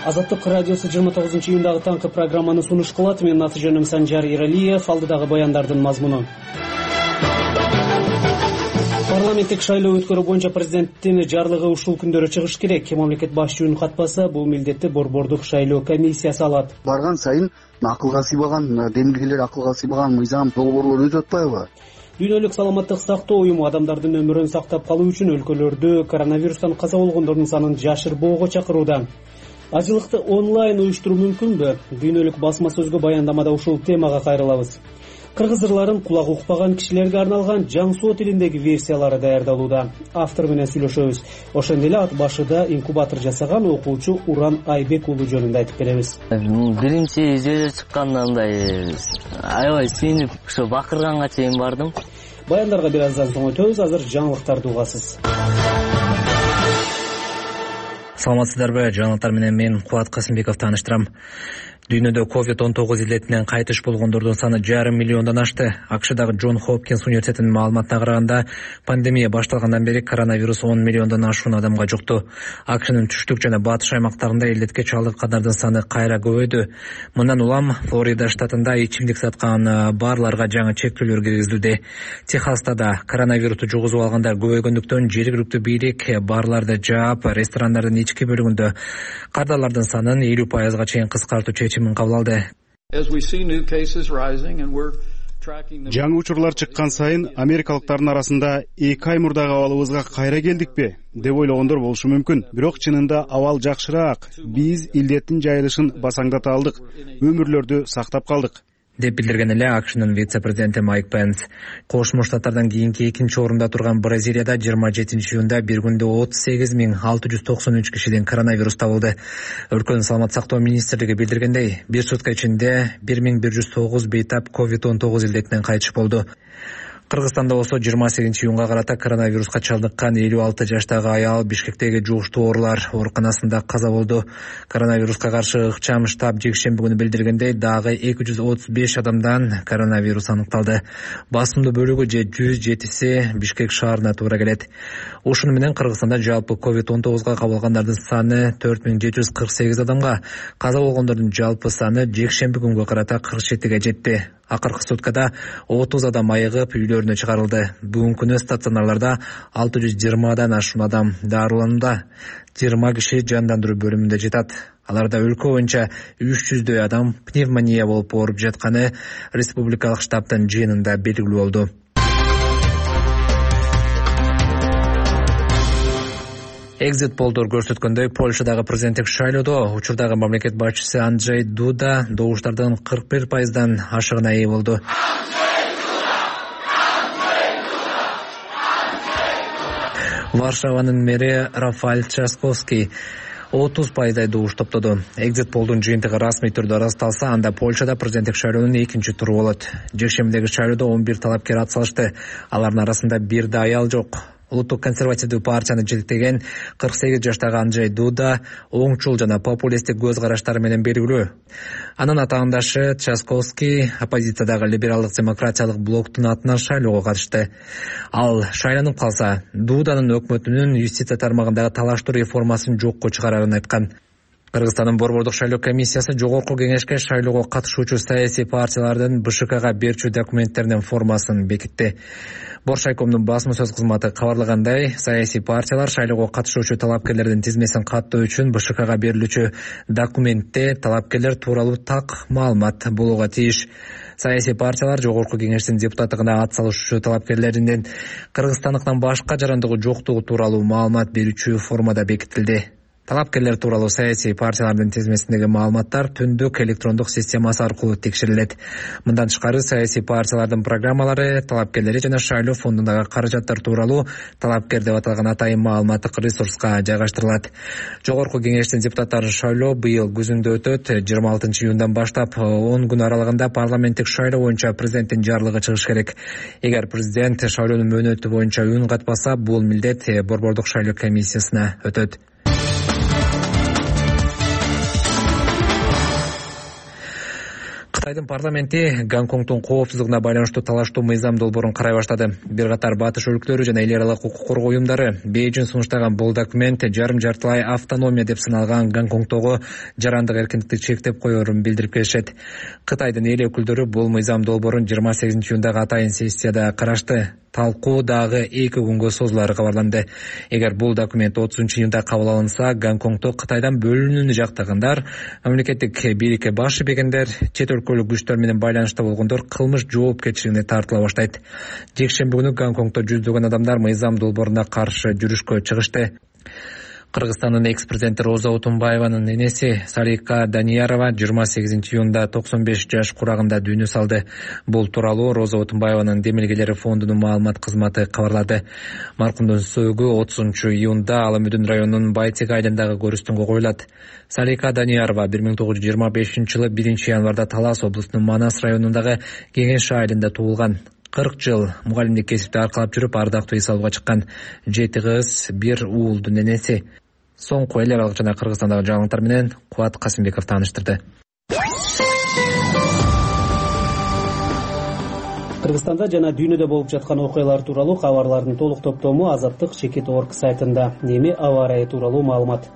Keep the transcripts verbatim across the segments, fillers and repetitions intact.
Азаттык радиосу жыйырма тогузунчу июндагы таңкы программаны сунуш кылат. Менин аты жөнүм Санжар Иралиев. Алдыдагы баяндардын мазмуну. Парламенттик шайлоо өткөрүү боюнча президенттин жарлыгы ушул күндөрү чыгыш керек. Мамлекет башчысынын катпаса, бул милдетти Борбордук шайлоо комиссиясы алат. Барган сайын акылга сыйбаган, демилгелер акылга сыйбаган мыйзам, долбоорлор өтүп атпайбы? Дүйнөлүк саламаттык сактоо уюму адамдардын өмүрүн сактап калуу үчүн өлкөлөрдө коронавирустан каза болгондордун санын жашырбоого чакырууда. Ажылыкты онлайн уюштуруу мүмкүнбү? Дүйнөлүк басма сөзгө баяндамада ушул темага кайрылабыз. Кыргыз ырларын кулак укпаган кишилерге арналган жаңсоо тилиндеги версиялары даярдалууда. Автор менен сүйлөшөбүз. Ошондой эле ат башыда инкубатор жасаган окуучу Уран Айбек уулу жөнүндө айтып беребиз. Биринчи жөө чыкканда мындай аябай сүйүнүп, ошо бакырганга чейин бардым. Баяндарга бир аздан соң өтөбүз. Азыр жаңылыктарды угасыз. Саламатсыздарбы? Жаңылыктар менен мен Кубат Касымбеков тааныштырам. Дүйнөдө ковид он тогуз илетинен кайтыш болгондордун саны жарым миллиондон ашты. АКШдагы Джон Хопкинс университетинин маалыматына караганда, пандемия башталгандан бери коронавирус он миллиондон ашуун адамга жукту. АКШнын түштүк жана батыш аймактарында илетке чалдыккандардын саны кайра көбөйдү. Мындан улам Флорида штатында ичимдик саткан барларга жаңы чектөөлөр киргизилди. Техаста да коронавирусту жугузуп алгандар көбөйгөндүктөн жергиликтүү бийлик барларды жаап, ресторандардын ички бөлүгүндө кардарлардын санын элүү пайызга чейин кыскартуу чечимин кабыл алды. Жаңы учурлар чыккан сайын америкалыктардын арасында эки ай мурдагы абалыбызга кайра келдикпи деп ойлогондор болушу мүмкүн. Бирок чынында абал жакшыраак. Биз илдеттин жайылышын басаңдата алдык, өмүрлөрдү сактап калдык, деп билдирген эле АКШнын вице-президенти Майк Пенс. Кошмо Штаттардан кийинки экинчи орунда турган Бразилияда жыйырма жетинчи июнда бир күндө отуз сегиз миң алты жүз токсон үч кишиден коронавирус табылды. Өлкөнүн саламат сактоо министрлиги билдиргендей, бир сутка ичинде бир миң бир жүз тогуз бейтап ковид он тогуз илдетинен кайтыш болду. Кыргызстанда болсо жыйырма сегизинчи июнга карата коронавируска чалдыккан элүү алты жаштагы аял Бишкектеги жугуштуу оорулар ооруканасында каза болду. Коронавируска каршы ыкчам штаб жекшемби күнү билдиргендей, дагы эки жүз отуз беш адамдан коронавирус аныкталды. Басымдуу бөлүгү же жүз жетиси Бишкек шаарына туура келет. Ушуну менен Кыргызстанда жалпы ковид он тогузга кабылгандардын саны төрт миң жети жүз кырк сегиз адамга, каза болгондордун жалпы саны жекшемби күнгө карата кырк жетиге жетти. Акыркы суткада отуз адам айыгып үйлөрүнө чыгарылды. Бүгүнкү күнү стационарларда алты жүз жыйырмадан ашуун адам дарыланууда. жыйырма киши жандандыруу бөлүмүндө жатат. Аларда өлкө боюнча үч жүздөй адам пневмония болуп ооруп жатканы республикалык штабтын жыйынында белгилүү болду. Экзит полдор көрсөткөндөй, Польшадагы президенттик шайлоодо учурдагы мамлекет башчысы Анджей Дуда добуштардын кырк бир пайыздан ашыгына ээ болду. Варшаванын мэри Рафаэль Трzaskowski отуз пайыздай добуш топтоду. Экзит полдун жыйынтыгы расмий түрдө ырасталса, анда Польшада президенттик шайлоонун экинчи туру болот. Жекшембидеги шайлоодо он бир талапкер ат салышты. Алардын арасында бир да аял жок. Улуттук консервативдүү партияны жетектеген кырк сегиз жаштагы Анджей Дуда оңчул жана популисттик көз караштары менен белгилүү. Анын атаандашы Трzaskowski оппозициядагы либералдык демократиялык блоктун атынан шайлоого катышты. Ал шайланып калса, Дуданын өкмөтүнүн юстиция тармагындагы талаштуу реформасын жокко чыгарарын айткан. Кыргызстандын Борбордук шайлоо комиссиясы жогорку кеңешке шайлоого катышуучу саясий партиялардын БШКга берчү документтеринин формасын бекитти. Боршайкомдун басма сөз кызматы кабарлагандай, саясий партиялар шайлоого катышуучу талапкерлердин тизмесин каттоо үчүн БШКга берилүүчү документте талапкерлер тууралуу так маалымат болууга тийиш. Саясий партиялар жогорку кеңештин депутаттыгына ат салышуучу талапкерлеринин кыргызстандыктан башка жарандыгы жоктугу тууралуу маалымат берүүчү формада бекитилди. Талапкерлер тууралуу саясий партиялардын тизмесиндеги маалыматтар түндүк электрондук системасы аркылуу текшерилет. Мындан тышкары саясий партиялардын программалары, талапкерлери жана шайлоо фондундагы каражаттар тууралуу талапкер деп аталган атайын маалыматтык ресурска жайгаштырылат. Жогорку кеңештин депутаттары шайлоо быйыл күзүндө өтөт. жыйырма алтынчы июндан баштап он күн аралыгында парламенттик шайлоо боюнча президенттин жарлыгы чыгыш керек. Эгер президент шайлоонун мөөнөтү боюнча үн катпаса, бул милдет Борбордук шайлоо комиссиясына өтөт. Кытайдын парламенти Гонконгдун коопсуздугуна байланыштуу талаштуу мыйзам долбоорун карай баштады. Бир катар батыш өлкөлөрү жана эл аралык укук коргоо уюмдары Бейжиң сунуштаган бул документ жарым жартылай автономия деп саналган Гонконгдогу жарандык эркиндикти чектеп коерун билдирип келишет. Кытайдын эл өкүлдөрү бул мыйзам долбоорун жыйырма сегизинчи июндагы атайын сессияда карашты. Талкуу дагы эки күнгө созулары кабарланды. Эгер бул документ отузунчу июнда кабыл алынса, Гонконгдо Кытайдан бөлүнүүнү жактагандар, мамлекеттик бийликке баш ийбегендер, чет өлкөлүк күчтөр менен байланышта болгондор кылмыш жоопкерчилигине тартыла баштайт. Жекшемби күнү Гонконгдо жүздөгөн адамдар мыйзам долбооруна каршы жүрүшкө чыгышты. Кыргызстандын экс-президенти Роза Отунбаеванын энеси Салика Даниярова жыйырма сегизинчи июнда токсон беш жаш курагында дүйнө салды. Бул тууралуу Роза Отунбаеванын демилгелери фондунун маалымат кызматы кабарлады. Маркумдун сөөгү отузунчу июнда Ала Мүдүн районунун Байтек айылындагы көрүстөнгө коюлат. Салика Даниярова бир миң тогуз жүз жыйырма бешинчи жылы биринчи январда Талас облусунун Манас районундагы Кеңеш айылында туулган. кырк жыл мугалимдик кесипти аркалап жүрүп, ардактуу эс алууга чыккан. Жети кыз, бир уулдун энеси. Соңку эл аралык жана Кыргызстандагы жаңылыктар менен Кубат Касымбеков тааныштырды. Кыргызстанда жана дүйнөдө болуп жаткан окуялар тууралуу кабарлардын толук топтому Азаттык чекит точка орг сайтында. Эми аба ырайы тууралуу маалымат.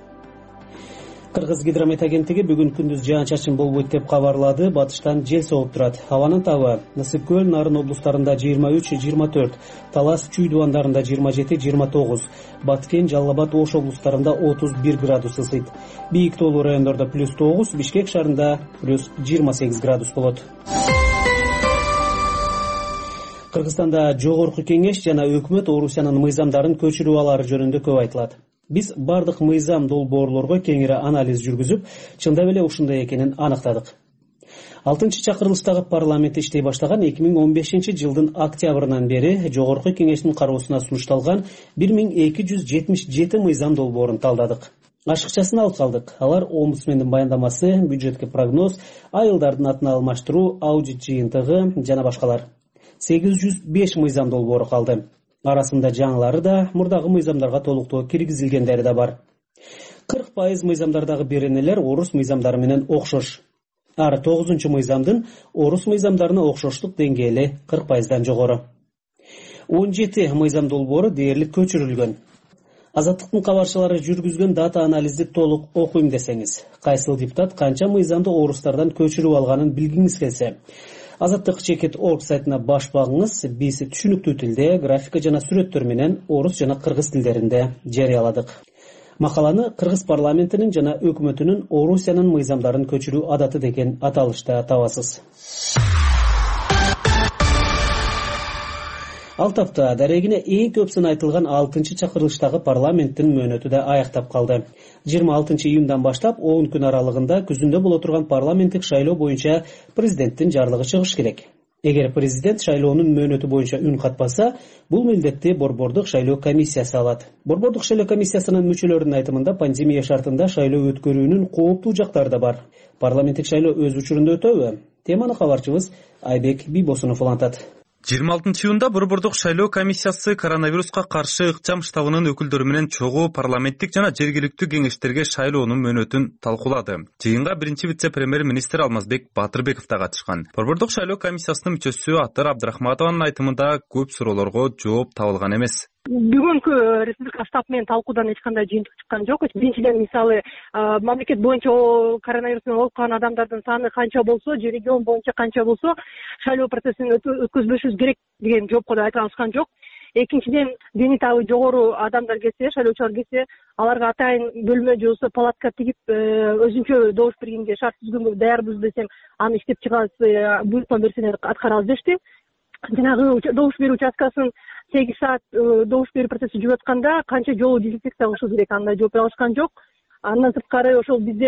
Кыргыз гидромет агенттиги бүгүн күндүз жаан-чачын болбойт деп кабарлады. Батыштан жел согуп турат. Абанын табы Насып көл, Нарын облустарында жыйырма үч жыйырма төрт, Талас, Чүй дубандарында жыйырма жети жыйырма тогуз, Баткен, Жалал Абад, Ош облустарында отуз бир градус ысыйт. Бийик тоолуу райондордо плюс тогуз, Бишкек шаарында плюс жыйырма сегиз градус болот. Кыргызстанда жогорку кеңеш жана өкмөт Орусиянын мыйзамдарын көчүрүп алары жөнүндө көп айтылат. Биз бардык мыйзам долбоорлорго кеңири анализ жүргүзүп, чындап эле ушундай экенин аныктадык. алтынчы чакырылыштагы парламент иштей баштаган эки миң он бешинчи жылдын октябрынан бери жогорку кеңештин кароосуна сунушталган бир миң эки жүз жетимиш жети мыйзам долбоорун талдадык. Ашыкчасын алып калдык. Алар омбудсмендин баяндамасы, бюджетке прогноз, айылдардын атын алмаштыруу, аудит жыйынтыгы жана башкалар. сегиз жүз беш мыйзам долбоору калды. Арасында жаңылары да, мурдагы мыйзамдарга толуктоо киргизилгендери да бар. кырк пайыз мыйзамдардагы беренелер орус мыйзамдары менен окшош. Ар тогузунчу мыйзамдын орус мыйзамдарына окшоштук деңгээли кырк пайыздан жогору. он жети мыйзам долбоору дээрлик көчүрүлгөн. Азаттыктын кабарчылары жүргүзгөн дата анализди толук окуйм десеңиз, кайсыл депутат канча мыйзамды орустардан көчүрүп алганын билгиңиз келсе, Азаттык чекит точка орг сайтына баш багыңыз. Биз түшүнүктүү тилде, графика жана сүрөттөр менен орус жана кыргыз тилдеринде жарыяладык. Макаланы Кыргыз парламентинин жана өкмөтүнүн Орусиянын мыйзамдарын көчүрүү адаты деген аталышта табасыз. Ал тапта дарегине эң көп сын айтылган алтынчы чакырылыштагы парламенттин мөөнөтү да аяктап калды. жыйырма алтынчы июндан баштап он күн аралыгында күзүндө боло турган парламенттик шайлоо боюнча президенттин жарлыгы чыгыш керек. Эгер президент шайлоонун мөөнөтү боюнча үн катпаса, бул милдетти борбордук шайлоо комиссиясы алат. Борбордук шайлоо комиссиясынын мүчөлөрүнүн айтымында пандемия шартында шайлоо өткөрүүнүн кооптуу жактары да бар. Парламенттик шайлоо өз учурунда өтөбү? Теманы кабарчыбыз Айбек Бийбосунов улантат. жыйырма алтынчы июнда борбордук шайлоо комиссиясы коронавируска каршы ыкчам штабынын өкүлдөрү менен чогуу парламенттик жана жергиликтүү кеңештерге шайлоонун мөөнөтүн талкуулады. Жыйынга биринчи вице-премьер-министр Алмазбек Батырбеков да катышкан. Борбордук шайлоо комиссиясынын мүчөсү Атыр Абдрахматованын айтымында көп суроолорго жооп табылган эмес. Бүгүнкү республика штаб менен талкуудан эч кандай жыйынтык чыккан жок. Биринчиден, мисалы, мамлекет боюнча коронавирус менен ооруп адамдардын саны канча болсо, же регион боюнча канча болсо, шайлоо процессин өткөзбөшүбүз керек деген жоопко да айта алышкан жок. Экинчиден, дени табы жогору адамдар келсе, шайлоочулар келсе, аларга атайын бөлмө же болбосо палатка тигип, өзүнчө добуш бергенге шарт түзгөнгө даярбыз десем, аны иштеп чыгабыз, буйрукма берсеңер аткарабыз дешти. Жанагы добуш берүү участкасын сегиз саат добуш берүү процесси жүрүп атканда канча жолу дезинфекция кылышыбыз керек, андай жооп бере алышкан жок. Андан сырткары ошол бизде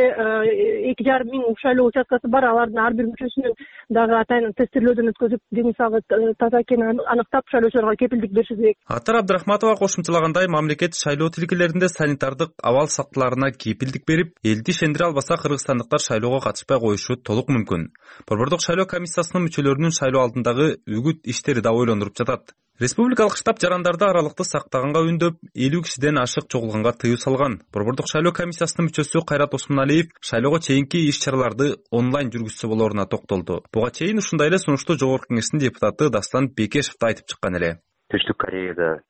эки жарым миң шайлоо участкасы бар, алардын ар бир мүчөсүнүн дагы атайын тестирлөөдөн өткөзүп, дени сагы таза экенин аныктап, шайлоочуларга кепилдик беришибиз керек. Атыр Абдрахматова кошумчалагандай, мамлекет шайлоо тилкелеринде санитардык абал сактыларына кепилдик берип, элди ишендире албаса, кыргызстандыктар шайлоого катышпай коюшу толук мүмкүн. Борбордук шайлоо комиссиясынын мүчөлөрүнүн шайлоо алдындагы үгүт иштери да ойлондуруп жатат. Республикалык штаб жарандарды аралыкты сактаганга үндөп, элүү кишиден ашык чогулганга тыюу салган. Борбордук шайлоо комиссиясынын мүчөсү Кайрат Осмоналиев шайлоого чейинки иш-чараларды онлайн жүргүзсө болоруна токтолду. Буга чейин ушундай эле сунушту Жогорку Кеңештин депутаты Даслан Бекешев да айтып чыккан эле. Түштүк Кореяда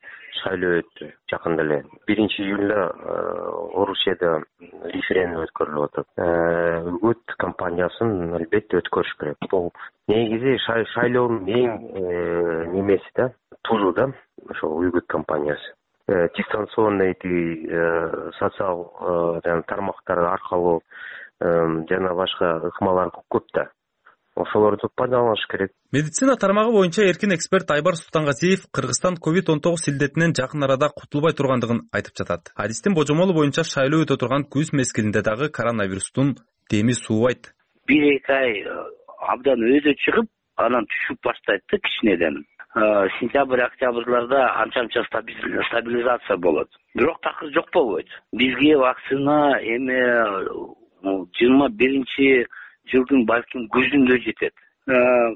шайлоо өттү жакында эле. биринчи июлда Орусияда референдум өткөрүлүп атат. Үгүт кампаниясын албетте өткөрүш керек. Бул негизи шайлоонун эң немеси да, тузу да, ошол үгүт кампаниясы. Дистанционный социал тармактар аркылуу жана башка ыкмалар көп да. Ошолорду пайдаланыш керек. Медицина тармагы боюнча эркин эксперт Айбар Султангазиев Кыргызстан ковид он тогуз илдетинен жакын арада кутулбай тургандыгын айтып жатат. Адистин божомолу боюнча шайлоо өтө турган күз мезгилинде дагы коронавирустун деми суубайт. бир эки ай абдан өзү чыгып, анан түшүп баштайт да кичинеден. Сентябрь, октябрларда анча-анча стабилизация болот. Бирок такыр жок болбойт. Бизге вакцина эми жыйырма биринчи жылдын балким күзүндө жетет.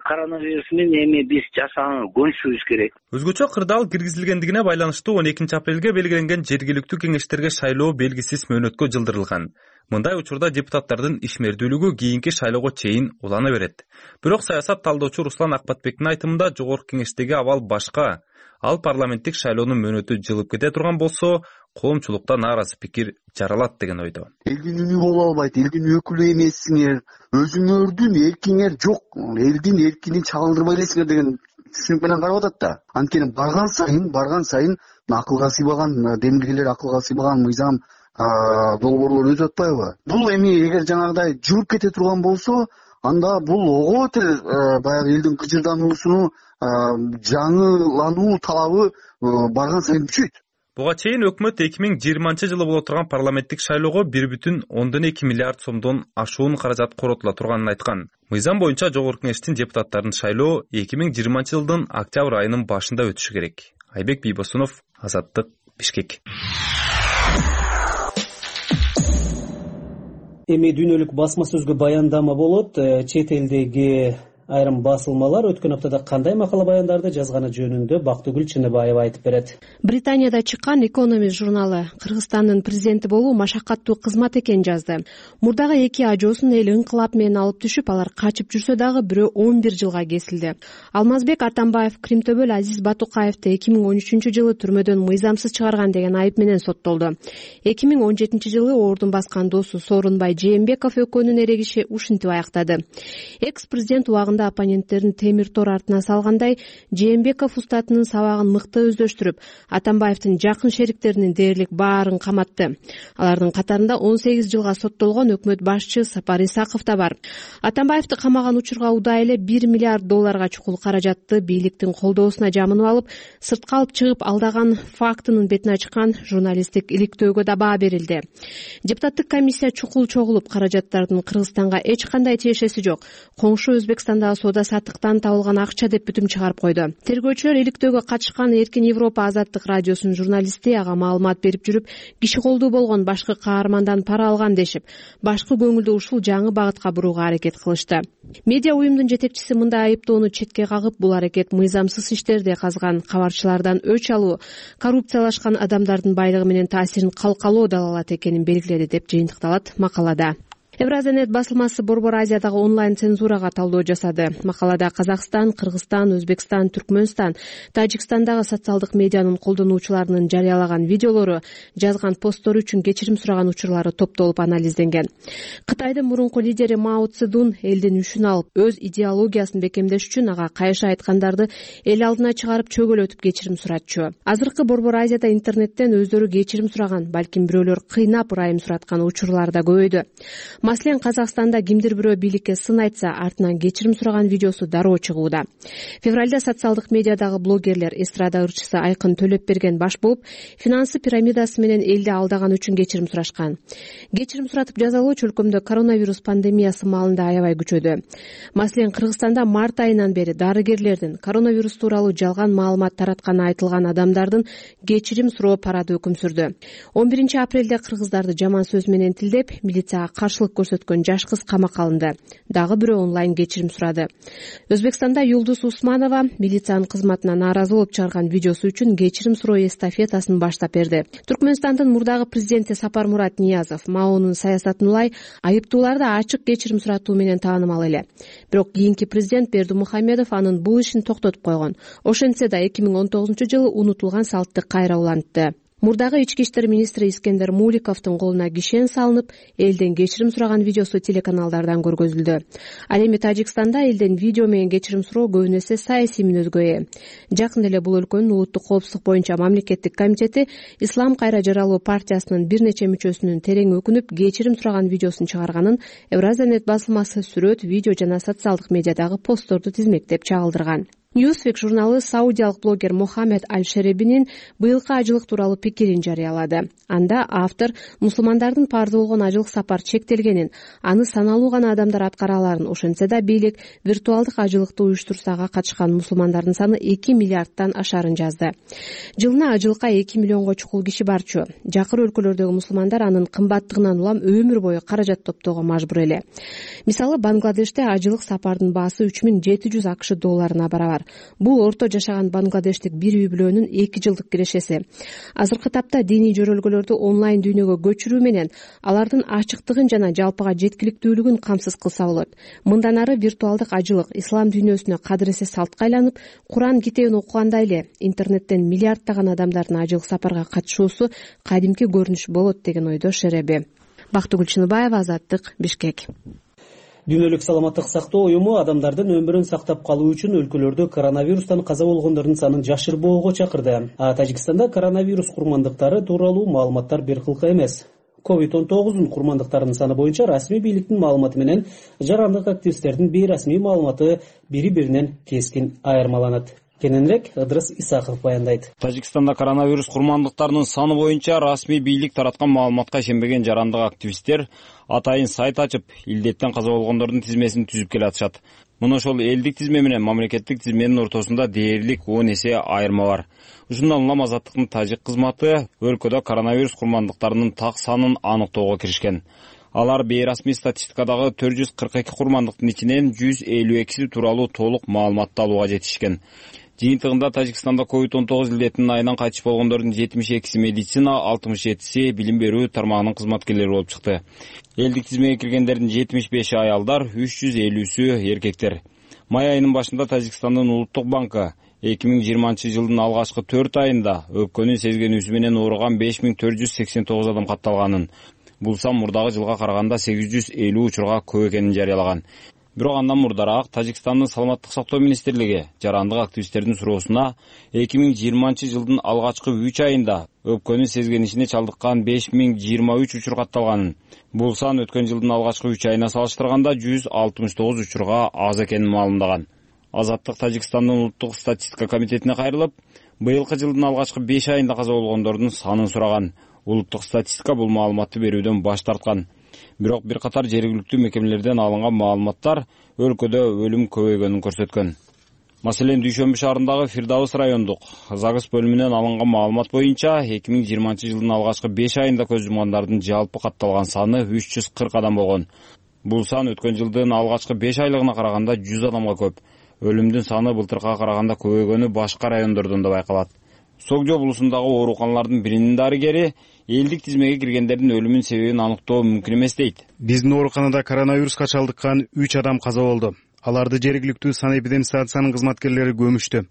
Коронавирус менен эми биз жашаганга көнүшүбүз керек. Өзгөчө кырдаал киргизилгендигине байланыштуу он экинчи апрелге белгиленген жергиликтүү кеңештерге шайлоо белгисиз мөөнөткө жылдырылган. Мындай учурда депутаттардын ишмердүүлүгү кийинки шайлоого чейин улана берет. Бирок саясат талдоочу Руслан Акбатбектин айтымында Жогорку Кеңештеги абал башка. Ал парламенттик шайлоонун мөөнөтү жылып кете турган болсо, коомчулукта нааразы пикир жаралат деген ойдо. Элдин үнү боло албайт, элдин өкүлү эмессиңер, өзүңөрдүн эркиңер жок, элдин эркинин чагылдырбай элесиңер деген түшүнүк менен карап атат да. Анткени барган сайын, барган сайын акылга сыйбаган демилгелер, акылга сыйбаган мыйзам долбоорлор өтүп атпайбы? Бул эми эгер жанагыдай жылып кете турган болсо, анда бул ого бетер баягы элдин кыжырдануусуну, жаңылануу талабы барган сайын күчөйт. Буга чейин өкмөт эки миң жыйырманчы жылы боло турган парламенттик шайлоого бир бүтүн ондон эки миллиард сомдон ашуун каражат коротула турганын айткан. Мыйзам боюнча Жогорку Кеңештин депутаттарын шайлоо эки миң жыйырманчы жылдын октябрь айынын башында өтүшү керек. Айбек Бийбосунов, Азаттык, Бишкек. Эми дүйнөлүк басма сөзгө баяндама болот. Чет элдеги айрым басылмалар өткөн аптада кандай макала баяндарды жазганы жөнүндө Бактыгүл Чыныбаева айтып берет. Британияда чыккан Economist журналы Кыргызстандын президенти болуу машакаттуу кызмат экенин жазды. Мурдагы эки ажоосун эл ыңкылап менен алып түшүп, алар качып жүрсө дагы бирөө он бир жылга кесилди. Алмазбек Атамбаев Кримтөбөл Азиз Батукаевди эки миң он үчүнчү жылы түрмөдөн мыйзамсыз чыгарган деген айып менен соттолду. эки миң он жетинчи жылы ордун баскан досу Сооронбай Жээнбеков экөөнүн эрегиши ушинтип аяктады. Экс-президент убагында оппоненттерин темир тор артына салгандай, Жээнбеков устатынын сабагын мыкты өздөштүрүп, Атамбаевдин жакын шериктеринин дээрлик баарын каматты. Алардын катарында он сегиз жылга соттолгон өкмөт башчы Сапар Исаков да бар. Атамбаевди камаган учурга удай эле бир миллиард долларга чукул каражатты бийликтин колдоосуна жамынып алып, сыртка алып чыгып алдаган фактынын бетин ачкан журналисттик иликтөөгө да баа берилди. Депутаттык комиссия чукул чогулуп, каражаттардын Кыргызстанга эч кандай тиешеси жок, коңшу Өзбекстандагы соода саттыктан табылган акча деп бүтүм чыгарып койду. Тергөөчүлөр иликтөөгө катышкан Эркин Европа азаттык радиосунун журналисти ага маалымат берип жүрүп, киши колдуу болгон башкы каармандан пара алган дешип, башкы көңүлдү ушул жаңы багытка бурууга аракет кылышты. Медиа уюмдун жетекчиси мындай айыптоону четке кагып, бул аракет мыйзамсыз иштерди казган кабарчылардан өч алуу, коррупциялашкан адамдардын байлыгы менен таасирин калкалоо далалат экенин белгиледи деп жыйынтыкталат макалада. Евразия.нет басылмасы Борбор Азиядагы онлайн цензурага талдоо жасады. Макалада Казакстан, Кыргызстан, Өзбекстан, Түркмөнстан, Тажикстандагы социалдык медианын колдонуучуларынын жарыялаган видеолору, жазган посттору үчүн кечирим сураган учурлары топтолуп анализденген. Кытайдын мурунку лидери Мао Цзэдун элдин үшүн алып, өз идеологиясын бекемдеш үчүн ага кайша айткандарды эл алдына чыгарып чөгөлөтүп кечирим суратчу. Азыркы Борбор Азияда интернеттен өздөрү кечирим сураган, балким бирөөлөр кыйнап ырайым сураткан учурлар да көбөйдү. Маселен, Казакстанда кимдир бирөө бийликке сын айтса, артынан кечирим сураган видеосу дароо чыгууда. Февралда социалдык медиадагы блогерлер эстрада ырчысы Айкын Төлөпберген баш болуп, финансы пирамидасы менен элди алдаган үчүн кечирим сурашкан. Кечирим суратып жазалоочу өлкөмдө коронавирус пандемиясы маалында аябай күчөдү. Маселен, Кыргызстанда март айынан бери дарыгерлердин коронавирус тууралуу жалган маалымат таратканы айтылган адамдардын кечирим суроо парады өкүм сүрдү. он биринчи апрелде кыргыздарды жаман сөз менен тилдеп, милицияга каршылык каршылык көрсөткөн жаш кыз камакка алынды. Дагы бирөө онлайн кечирим сурады. Өзбекстанда Юлдуз Усманова милициянын кызматына нааразы болуп чыгарган видеосу үчүн кечирим суроо эстафетасын баштап берди. Түркмөнстандын мурдагы президенти Сапармурат Ниязов Маонун саясатын улай айыптууларды ачык кечирим суратуу менен таанымал эле. Бирок кийинки президент Бердимухамедов анын бул ишин токтотуп койгон. Ошентсе да эки миң он тогузунчу жылы унутулган салтты кайра улантты. Мурдагы ички иштер министри Искендер Муликовдун колуна кишен салынып, элден кечирим сураган видеосу телеканалдардан көргөзүлдү. Ал эми Тажикстанда элден видео менен кечирим суроо көбүн эсе саясий мүнөзгө ээ. Жакында эле бул өлкөнүн улуттук коопсуздук боюнча мамлекеттик комитети Ислам кайра жаралуу партиясынын бир нече мүчөсүнүн терең өкүнүп кечирим сураган видеосун чыгарганын Евразиянет басылмасы сүрөт, видео жана социалдык медиадагы постторду тизмектеп чагылдырган. Newsweek журналы саудиялык блогер Мохаммед Аль-Шеребинин быйылкы ажылык тууралуу пикирин жарыялады. Анда автор мусулмандардын парзы болгон ажылык сапар чектелгенин, аны саналуу гана адамдар аткара аларын, ошентсе да бийлик виртуалдык ажылыкты уюштурсага катышкан мусулмандардын саны эки миллиардтан ашарын жазды. Жылына ажылыкка эки миллионго чукул киши барчу. Жакыр өлкөлөрдөгү мусулмандар анын кымбаттыгынан улам өмүр бою каражат топтоого мажбур эле. Мисалы, Бангладеште ажылык сапардын баасы үч миң жети жүз акш долларына барабар. Бул орто жашаган бангладештик бир үй бүлөнүн эки жылдык кирешеси. Азыркы тапта диний жөрөлгөлөрдү онлайн дүйнөгө көчүрүү менен алардын ачыктыгын жана жалпыга жеткиликтүүлүгүн камсыз кылса болот. Мындан ары виртуалдык ажылык ислам дүйнөсүнө кадыресе салтка айланып, Куран китебин окугандай эле интернеттен миллиарддаган адамдардын ажылык сапарга катышуусу кадимки көрүнүш болот деген ойдо Шереби. Бактыгүл Чыныбаева, Азаттык, Бишкек. Дүйнөлүк саламаттык сактоо уюму адамдардын өмүрүн сактап калуу үчүн өлкөлөрдө коронавирустан каза болгондордун санын жашырбоого чакырды. А Тажикстанда коронавирус курмандыктары тууралуу маалыматтар бир кылка эмес. ковид он тогуздун курмандыктарынын саны боюнча расмий бийликтин маалыматы менен жарандык активисттердин бейрасмий маалыматы бири-биринен кескин айырмаланат. Кененирээк Ыдырыс Исаков баяндайт. Тажикстанда коронавирус курмандыктарынын саны боюнча расмий бийлик тараткан маалыматка ишенбеген жарандык активисттер атайын сайт ачып, илдеттен каза болгондордун тизмесин түзүп келатышат. Мына ошол элдик тизме менен мамлекеттик тизменин ортосунда дээрлик он эсе айырма бар. Ушундан улам Азаттыктын тажик кызматы өлкөдө коронавирус курмандыктарынын так санын аныктоого киришкен. Алар бейрасмий статистикадагы төрт жүз кырк эки курмандыктын ичинен жүз элүү экиси тууралуу толук маалыматты алууга жетишкен. Жыйынтыгында Тажикстанда ковид он тогуз илдетинин айынан кайтыш болгондордун жетимиш экиси медицина, алтымыш жетиси билим берүү тармагынын кызматкерлери болуп чыкты. Элдик тизмеге киргендердин жетимиш беши аялдар, үч жүз элүүсү эркектер. Май айынын башында Тажикстандын улуттук банкы эки миң жыйырманчы жылдын алгачкы төрт айында өпкөнүн сезгенүүсү менен ооруган беш миң төрт жүз сексен тогуз адам катталганын, бул сан мурдагы жылга караганда сегиз жүз элүү учурга көп экенин жарыялаган. Бирок андан мурдараак Тажикстандын саламаттык сактоо министрлиги жарандык активисттердин суроосуна эки миң жыйырманчы жылдын алгачкы үч айында өпкөнүн сезгенишине чалдыккан беш миң жыйырма үч учур катталганын, бул сан өткөн жылдын алгачкы үч айына салыштырганда жүз алтымыш тогуз учурга аз экенин маалымдаган. Азаттык Тажикстандын улуттук статистика комитетине кайрылып, быйылкы жылдын алгачкы беш айында каза болгондордун санын сураган. Улуттук статистика бул маалыматты берүүдөн баш тарткан. Бирок бир катар жергиликтүү мекемелерден алынган маалыматтар өлкөдө өлүм көбөйгөнүн көрсөткөн. Маселен, Дүйшөмбү шаарындагы Фирдаус райондук Загыс бөлүмүнөн алынган маалымат боюнча эки миң жыйырманчы жылдын алгачкы беш айында көз жумгандардын жалпы катталган саны үч жүз кырк адам болгон. Бул сан өткөн жылдын алгачкы беш айлыгына караганда жүз адамга көп. Өлүмдүн саны былтыркыга караганда көбөйгөнү башка райондордон да байкалат. Согжо булусундагы ооруканалардын биринин дарыгери элдик тизмеге киргендердин өлүмүнүн себебин аныктоо мүмкүн эмес дейт. Биздин ооруканада коронавируска чалдыккан үч адам каза болду. Аларды жергиликтүү санэпидемстанциянын кызматкерлери көмүштү.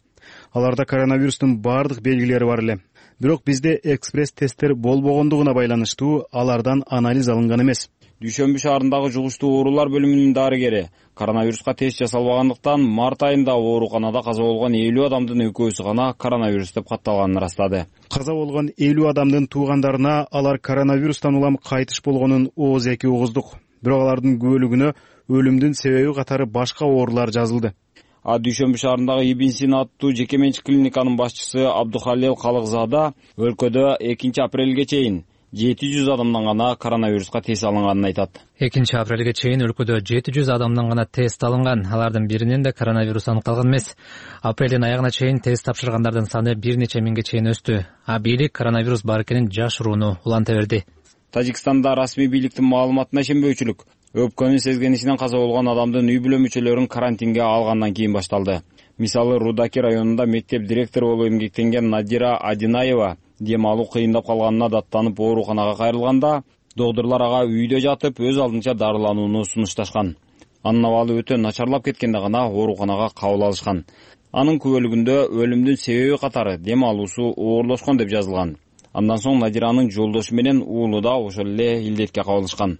Аларда коронавирустун бардык белгилери бар эле. Бирок бизде экспресс тесттер болбогондугуна байланыштуу алардан анализ алынган эмес. Дүйшөмбү шаарындагы жугуштуу оорулар бөлүмүнүн дарыгери коронавируска тест жасалбагандыктан март айында ооруканада каза болгон элүү адамдын экөөсү гана коронавирус деп катталганын ырастады. Каза болгон элүү адамдын туугандарына алар коронавирустан улам кайтыш болгонун ооз эки угуздук. Бирок алардын көбөлүгүнө өлүмдүн себеби катары башка оорулар жазылды. А Дүйшөмбү шаарындагы Ибн Сина аттуу жеке менчик клиниканын башчысы Абдухалил Калыкзада өлкөдө экинчи апрелге чейин жети жүз адамдан гана коронавируска тест алынганын айтат. экинчи апрелге чейин өлкөдө жети жүз адамдан гана тест алынган. Алардын биринен да коронавирус аныкталган эмес. Апрелдин аягына чейин тест тапшыргандардын саны бир нече миңге чейин өстү. А бийлик коронавирус бар экенин жашырууну уланта берди. Тажикстанда расмий бийликтин маалыматына ишенбөөчүлүк өпкөнүн сезгенисинен каза болгон адамдын үй бүлө мүчөлөрүн карантинге алгандан кийин башталды. Мисалы, Рудаки районунда мектеп директору болуп эмгектенген Надира Адинаева дем алуу кыйындап калганына даттанып ооруканага кайрылганда, доктурлар ага үйдө жатып өз алдынча дарыланууну сунушташкан. Анын абалы өтө начарлап кеткенде гана ооруканага кабыл алышкан. Анын күбөлүгүндө өлүмдүн себеби катары дем алуусу оорлошкон деп жазылган. Андан соң Надиранын жолдошу менен уулу да ошол эле илдетке кабылышкан.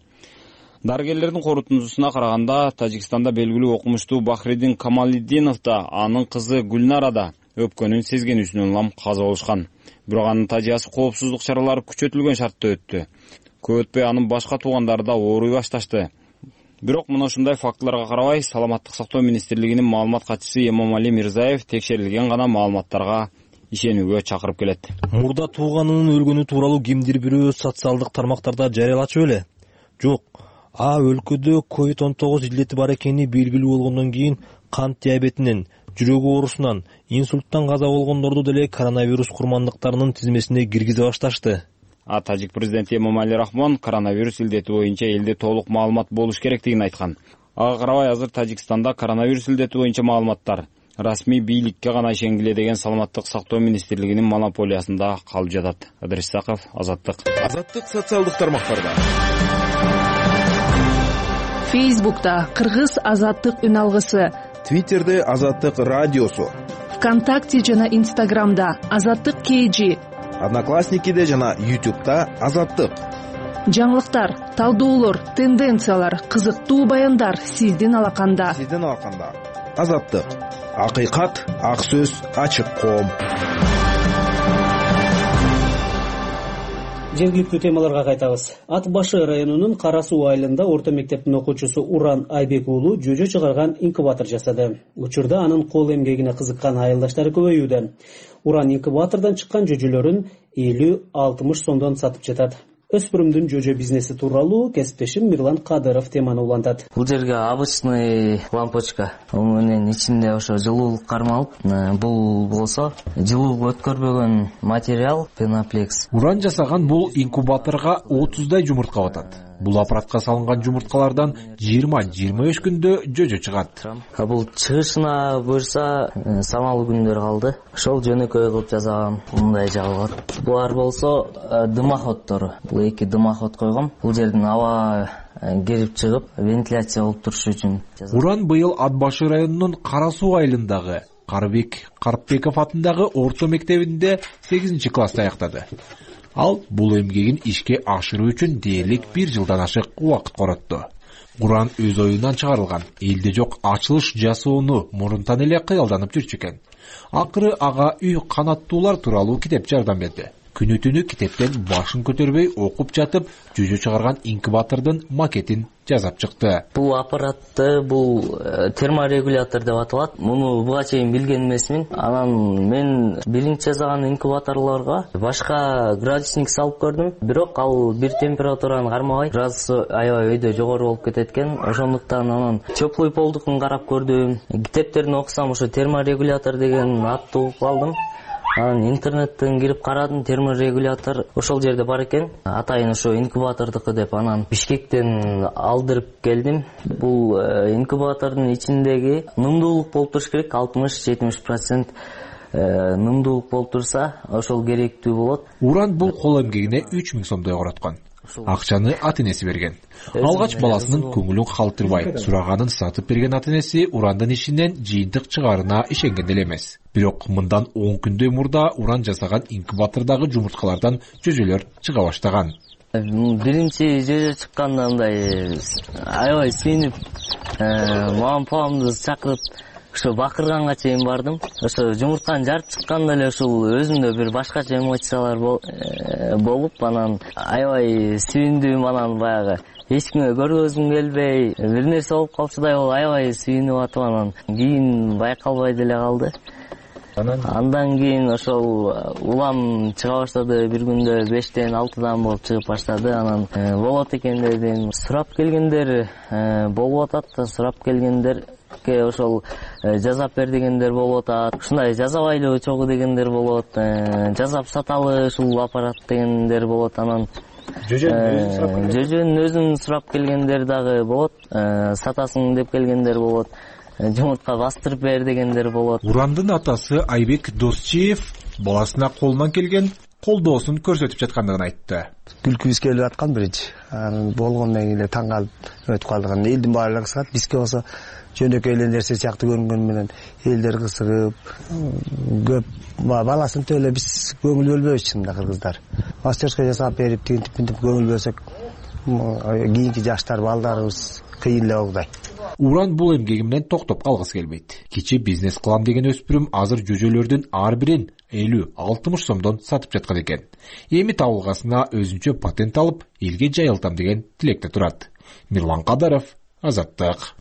Дарыгерлердин корутундусуна караганда, Тажикстанда белгилүү окумуштуу Бахриддин Камалиддинов да, анын кызы Гүлнара да өпкөнүн сезгенүүсүнөн улам каза болушкан. Бирок анын тажыясы коопсуздук чаралары күчөтүлгөн шартта өттү. Көп өтпөй анын башка туугандары да ооруй башташты. Бирок мына ушундай фактыларга карабай, Саламаттык сактоо министрлигинин маалымат катчысы Эмомали Мирзаев текшерилген гана маалыматтарга ишенүүгө чакырып келет. Мурда тууганынын өлгөнү тууралуу кимдир бирөө социалдык тармактарда жарыялачу беле? Жок. А өлкөдө ковид он тогуз илдети бар экени белгилүү болгондон кийин кант диабетинен, жүрөк оорусунан, инсульттан каза болгондорду деле коронавирус курмандыктарынын тизмесине киргизе башташты. А Тажик президенти Эмомали Рахмон коронавирус илдети боюнча элде толук маалымат болуш керектигин айткан. Ага карабай азыр Тажикстанда коронавирус илдети боюнча маалыматтар расмий бийликке гана ишенгиле деген Саламаттык сактоо министрлигинин монополиясында калып жатат. Адрес Саков, Азаттык. Азаттык социалдык тармактарда. Фейсбукта Кыргыз Азаттык үн алгысы, Твиттерде Азаттык радиосу, ВКонтакте жана Инстаграмда Азаттык кей, Одноклассникиде жана Ютубта Азаттык. Жаңылыктар, талдоолор, тенденциялар, кызыктуу баяндар сиздин алаканда. Сиздин алаканда. Азаттык. Акыйкат, ак сөз, ачык коом. Жергиликтүү темаларга кайтабыз. Ат башы районунун Кара Суу айылында орто мектептин окуучусу Уран Айбек уулу жөжө чыгарган инкубатор жасады. Учурда анын кол эмгегине кызыккан айылдаштары көбөйүүдө. Уран инкубатордон чыккан жөжөлөрүн элүү алтымыш сомдон сатып жатат. Өспүрүмдүн жөжө бизнеси тууралуу кесиптешим Мирлан Кадыров теманы улантат. Бул жерге обычный лампочка, менен ичинде ошо жылуулук кармалып, бул болсо жылуулук өткөрбөгөн материал пеноплекс. Уран жасаган бул инкубаторго отуздай жумуртка батат. Бул аппаратка салынган жумурткалардан жыйырма жыйырма беш күндө жөжө чыгат. Бул чыгышына буюрса самал күндөр калды. Ошол жөнөкөй кылып жасагам. Мындай жабылат. Булар болсо дымоходдору. Бул эки дымоход койгом. Бул жерден аба кирип чыгып, вентиляция болуп турушу үчүн. Уран быйыл Ат башы районунун Кара Суу айылындагы Карбек Карпбеков атындагы орто мектебинде сегизинчи класста аяктады. Ал бул эмгегин ишке ашыруу үчүн дээрлик бир жылдан ашык убакыт коротту. Уран өз оюнан чыгарылган элде жок ачылыш жасоону мурунтан эле кыялданып жүрчү экен. Акыры ага үй канаттуулар тууралуу китеп жардам берди. Күнү түнү китептен башын көтөрбөй окуп жатып, жөжө чыгарган инкубатордун макетин жасап чыкты. Бул аппаратты бул терморегулятор деп аталат. Муну буга чейин билген эмесмин. Анан мен биринчи жасаган инкубаторлорго башка градусник салып көрдүм. Бирок ал бир температураны кармабай, градусу аябай өйдө жогору болуп кетет экен. Ошондуктан анан теплый полдукун карап көрдүм. Китептерин окусам ошо терморегулятор деген атты угуп алдым. Анан интернеттен кирип карадым, терморегулятор ошол жерде бар экен. Атайын ошо инкубатордуку деп анан Бишкектен алдырып келдим. Бул инкубатордун ичиндеги нымдуулук болуп туруш керек, алтымыш жетимиш процент нымдуулук болуп турса, ошол керектүү болот. Уран бул кол эмгегине үч миң сомдой короткон. Акчаны ата-энеси берген. Алгач баласынын көңүлүн калтырбай сураганын сатып берген ата-энеси Урандын ишинен жыйынтык чыгаарына ишенген эле эмес. Бирок мындан он күндөй мурда Уран жасаган инкубатордагы жумурткалардан жөжөлөр чыга баштаган. Биринчи жөжө чыкканда мындай аябай сүйүнүп, мамам папамды чакырып ошо бакырганга чейин бардым. Ошо жумуртканы жарып чыкканда эле ушул өзүмдө бир башкача эмоциялар болуп, анан аябай сүйүндүм, анан баягы эч кимге көргөзгүм келбей, бир нерсе болуп калчудай болуп аябай сүйүнүп атып, анан кийин байкалбай деле калды. Андан кийин ошол улам чыга баштады, бир күндө бештен алтыдан болуп чыгып баштады. Анан болот экен дедим. Сурап келгендер болуп атат, сурап келгендер ошол жасап бер дегендер болуп атат. Ушундай жасабайлы чогуу дегендер болот. Жасап саталы ушул аппарат дегендер болот. Анан жөжөнүн өзүн сурап келгендер дагы болот, сатасың деп келгендер болот, жумуртка бастырып бер дегендер болот. Урандын атасы Айбек Досчиев баласына колунан келген колдоосун көрсөтүп жаткандыгын айтты. Күлкүбүз келип аткан биринчи. Анан болгондон кийин эле таң калып өтүп калдык. Элдин баары кызыгат. Бизге болсо жөнөкөй эле нерсе сыяктуу көрүнгөнү менен элдер кызыгып, көп баласын төлө биз көңүл бөлбөйбүз чынында кыргыздар. Мастерская жасап берип, тинтип тинтип көңүл бөлсөк, кийинки жаштар балдарыбыз кыйын эле болгудай. Уран бул эмгеги менен токтоп калгысы келбейт. Кичи бизнес кылам деген өспүрүм азыр жөжөлөрдүн ар бирин элүү алтымыш сомдон сатып жаткан экен. Эми табылгасына өзүнчө патент алып, элге жайылтам деген тилекте турат. Мирлан Кадаров, Азаттык.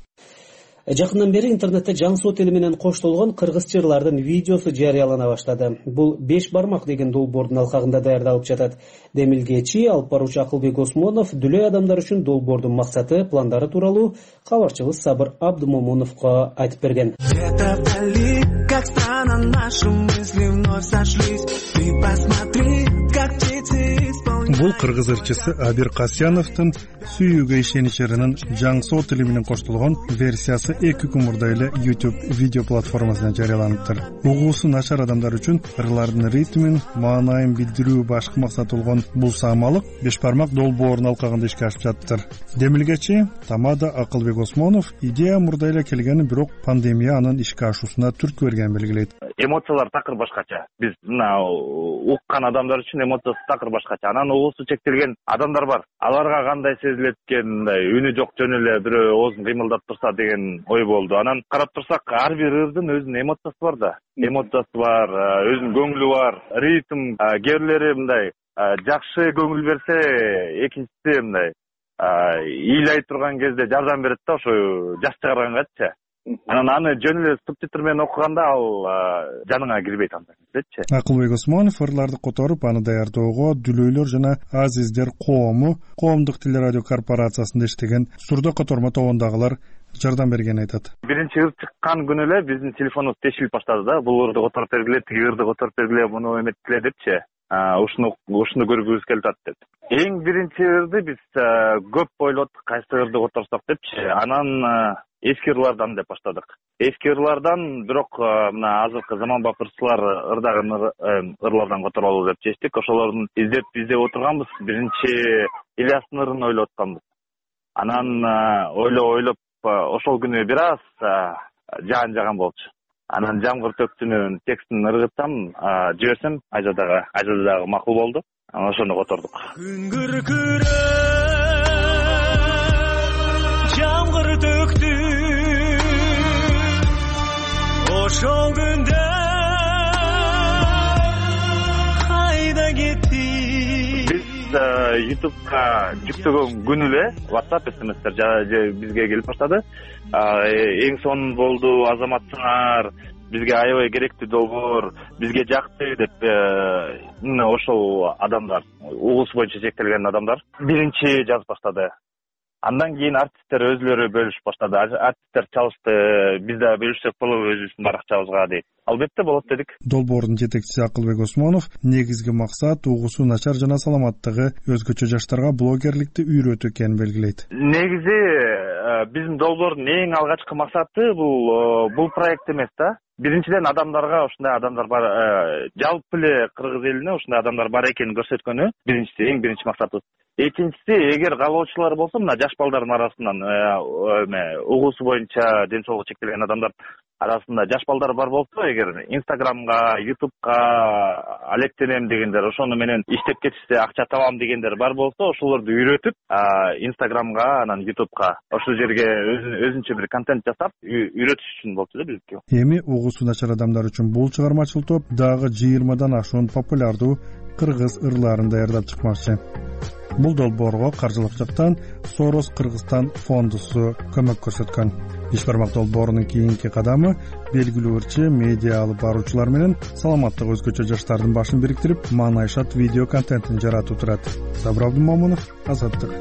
Жакындан бери интернетте жаңсоо тили менен коштолгон кыргыз жырлардын видеосу жарыялана баштады. Бул беш бармак деген долбоордун алкагында даярдалып жатат. Демилгечи алып баруучу Акылбек Осмонов дүлөй адамдар үчүн долбоордун максаты, пландары тууралуу кабарчыбыз Сабыр Абдымомуновго айтып берген. Бул кыргыз ырчысы Абир Касьяновдун сүйүүгө ишенич ырынын жаңсоо тили менен коштолгон версиясы эки күн мурда эле YouTube видео платформасына жарыяланыптыр. Угуусу начар адамдар үчүн ырлардын ритмин, маанайын билдирүү башкы максаты болгон бул саамалык беш бармак долбоорунун алкагында ишке ашып жатыптыр. Демилгечи Тамада Акылбек Осмонов идея мурда эле келгенин, бирок пандемия анын ишке ашуусуна түрткү бергенин белгилейт. Эмоциялар такыр башкача. Биз мына уккан адамдар үчүн эмоциясы такыр башкача. Анан угуусу чектелген адамдар бар. Аларга кандай сезилет экен, мындай үнү жок жөн эле бирөө оозун кыймылдап турса деген ой болду. Анан карап турсак, ар бир ырдын өзүнүн эмоциясы бар да. Эмоциясы бар, өзүнүн көңүлү бар, ритм, кээрлери мындай жакшы көңүл берсе, экинчиси мындай ыйлай турган кезде жардам берет да, ошо жаш чыгаргангачы. Анан аны жөн эле субтитр менен окуганда ал жаныңа кирбейт андайчы. Акылбек Осмонов ырларды которуп, аны даярдоого Дүлөйлөр жана Азиздер коому коомдук тил радио корпорациясында иштеген Сурдо Котормо тобундагылар жардам бергенин айтат. Биринчи ыр чыккан күнү эле биздин телефонубуз тешилип баштады да. Бул ырды которуп бергиле, тиги ырды которуп бергиле, муну эметкиле депчи. Ушуну ушуну көргүбүз келип атат деп. Эң биринчи ырды биз көп ойлоттук, кайсы ырды которсок депчи. Анан эски ырлардан деп баштадык. Эски ырлардан, бирок мына азыркы заманбап ырчылар ырдаган ырлардан которолу деп чечтик. Ошолордун издеп издеп отурганбыз. Биринчи Ильястын ырын ойлоп атканбыз. Анан ойлоп ойлоп ошол күнү бир аз жаан жаган болчу. Анан жамгыр төктүнүн текстин ыргытсам, жиберсем, айжадагы айжада дагы макул болду. Анан ошону котордук. Күн күркүрөп жамгыр төктү ошол күндө кайда кетти? Биз YouTube'га жүктөгөн күнү эле WhatsApp смстер бизге келип баштады. Эң сонун болду, азаматсыңар, бизге аябай керектүү долбоор, бизге жакты деп ошол адамдар, угуусу боюнча чектелген адамдар биринчи жазып баштады. Андан кийин артисттер өзүлөрү бөлүшүп баштады. Артисттер чалышты, биз да бөлүшсөк болобу өзүбүздүн баракчабызга дейт. Албетте болот дедик. Долбоордун жетекчиси Акылбек Осмонов негизги максат угуусу начар жана саламаттыгы өзгөчө жаштарга блогерликти үйрөтүү экенин белгилейт. Негизи биздин долбоордун эң алгачкы максаты бул бул проект эмес да. Биринчиден адамдарга ушундай адамдар бар, жалпы эле кыргыз элине ушундай адамдар бар экенин көрсөткөнү биринчиси, эң биринчи максатыбыз. Экинчиси, эгер каалоочулар болсо, мына жаш балдардын арасынан угуусу боюнча ден соолугу чектелген адамдар арасында жаш балдар бар болсо, эгер Инстаграмга, Ютубка алектенем дегендер, ошону менен иштеп кетишсе акча табам дегендер бар болсо, ошолорду үйрөтүп, Инстаграмга, анан Ютубка ошол жерге өзүнчө бир контент жасап, үйрөтүш үчүн болчу да биздики. Эми угуусу начар адамдар үчүн бул чыгармачыл топ дагы жыйырмадан ашуун популярдуу кыргыз ырларын даярдап чыкмакчы. Бул долбоорго каржылык жактан Сорос Кыргызстан фондусу көмөк көрсөткөн. Беш бармак долбоорунун кийинки кадамы белгилүү ырчы, медиа алып баруучулар менен саламаттыгы өзгөчө жаштардын башын бириктирип, маанайшат видео контентин жаратуу турат. Сабыр Абдымомунов, Азаттык.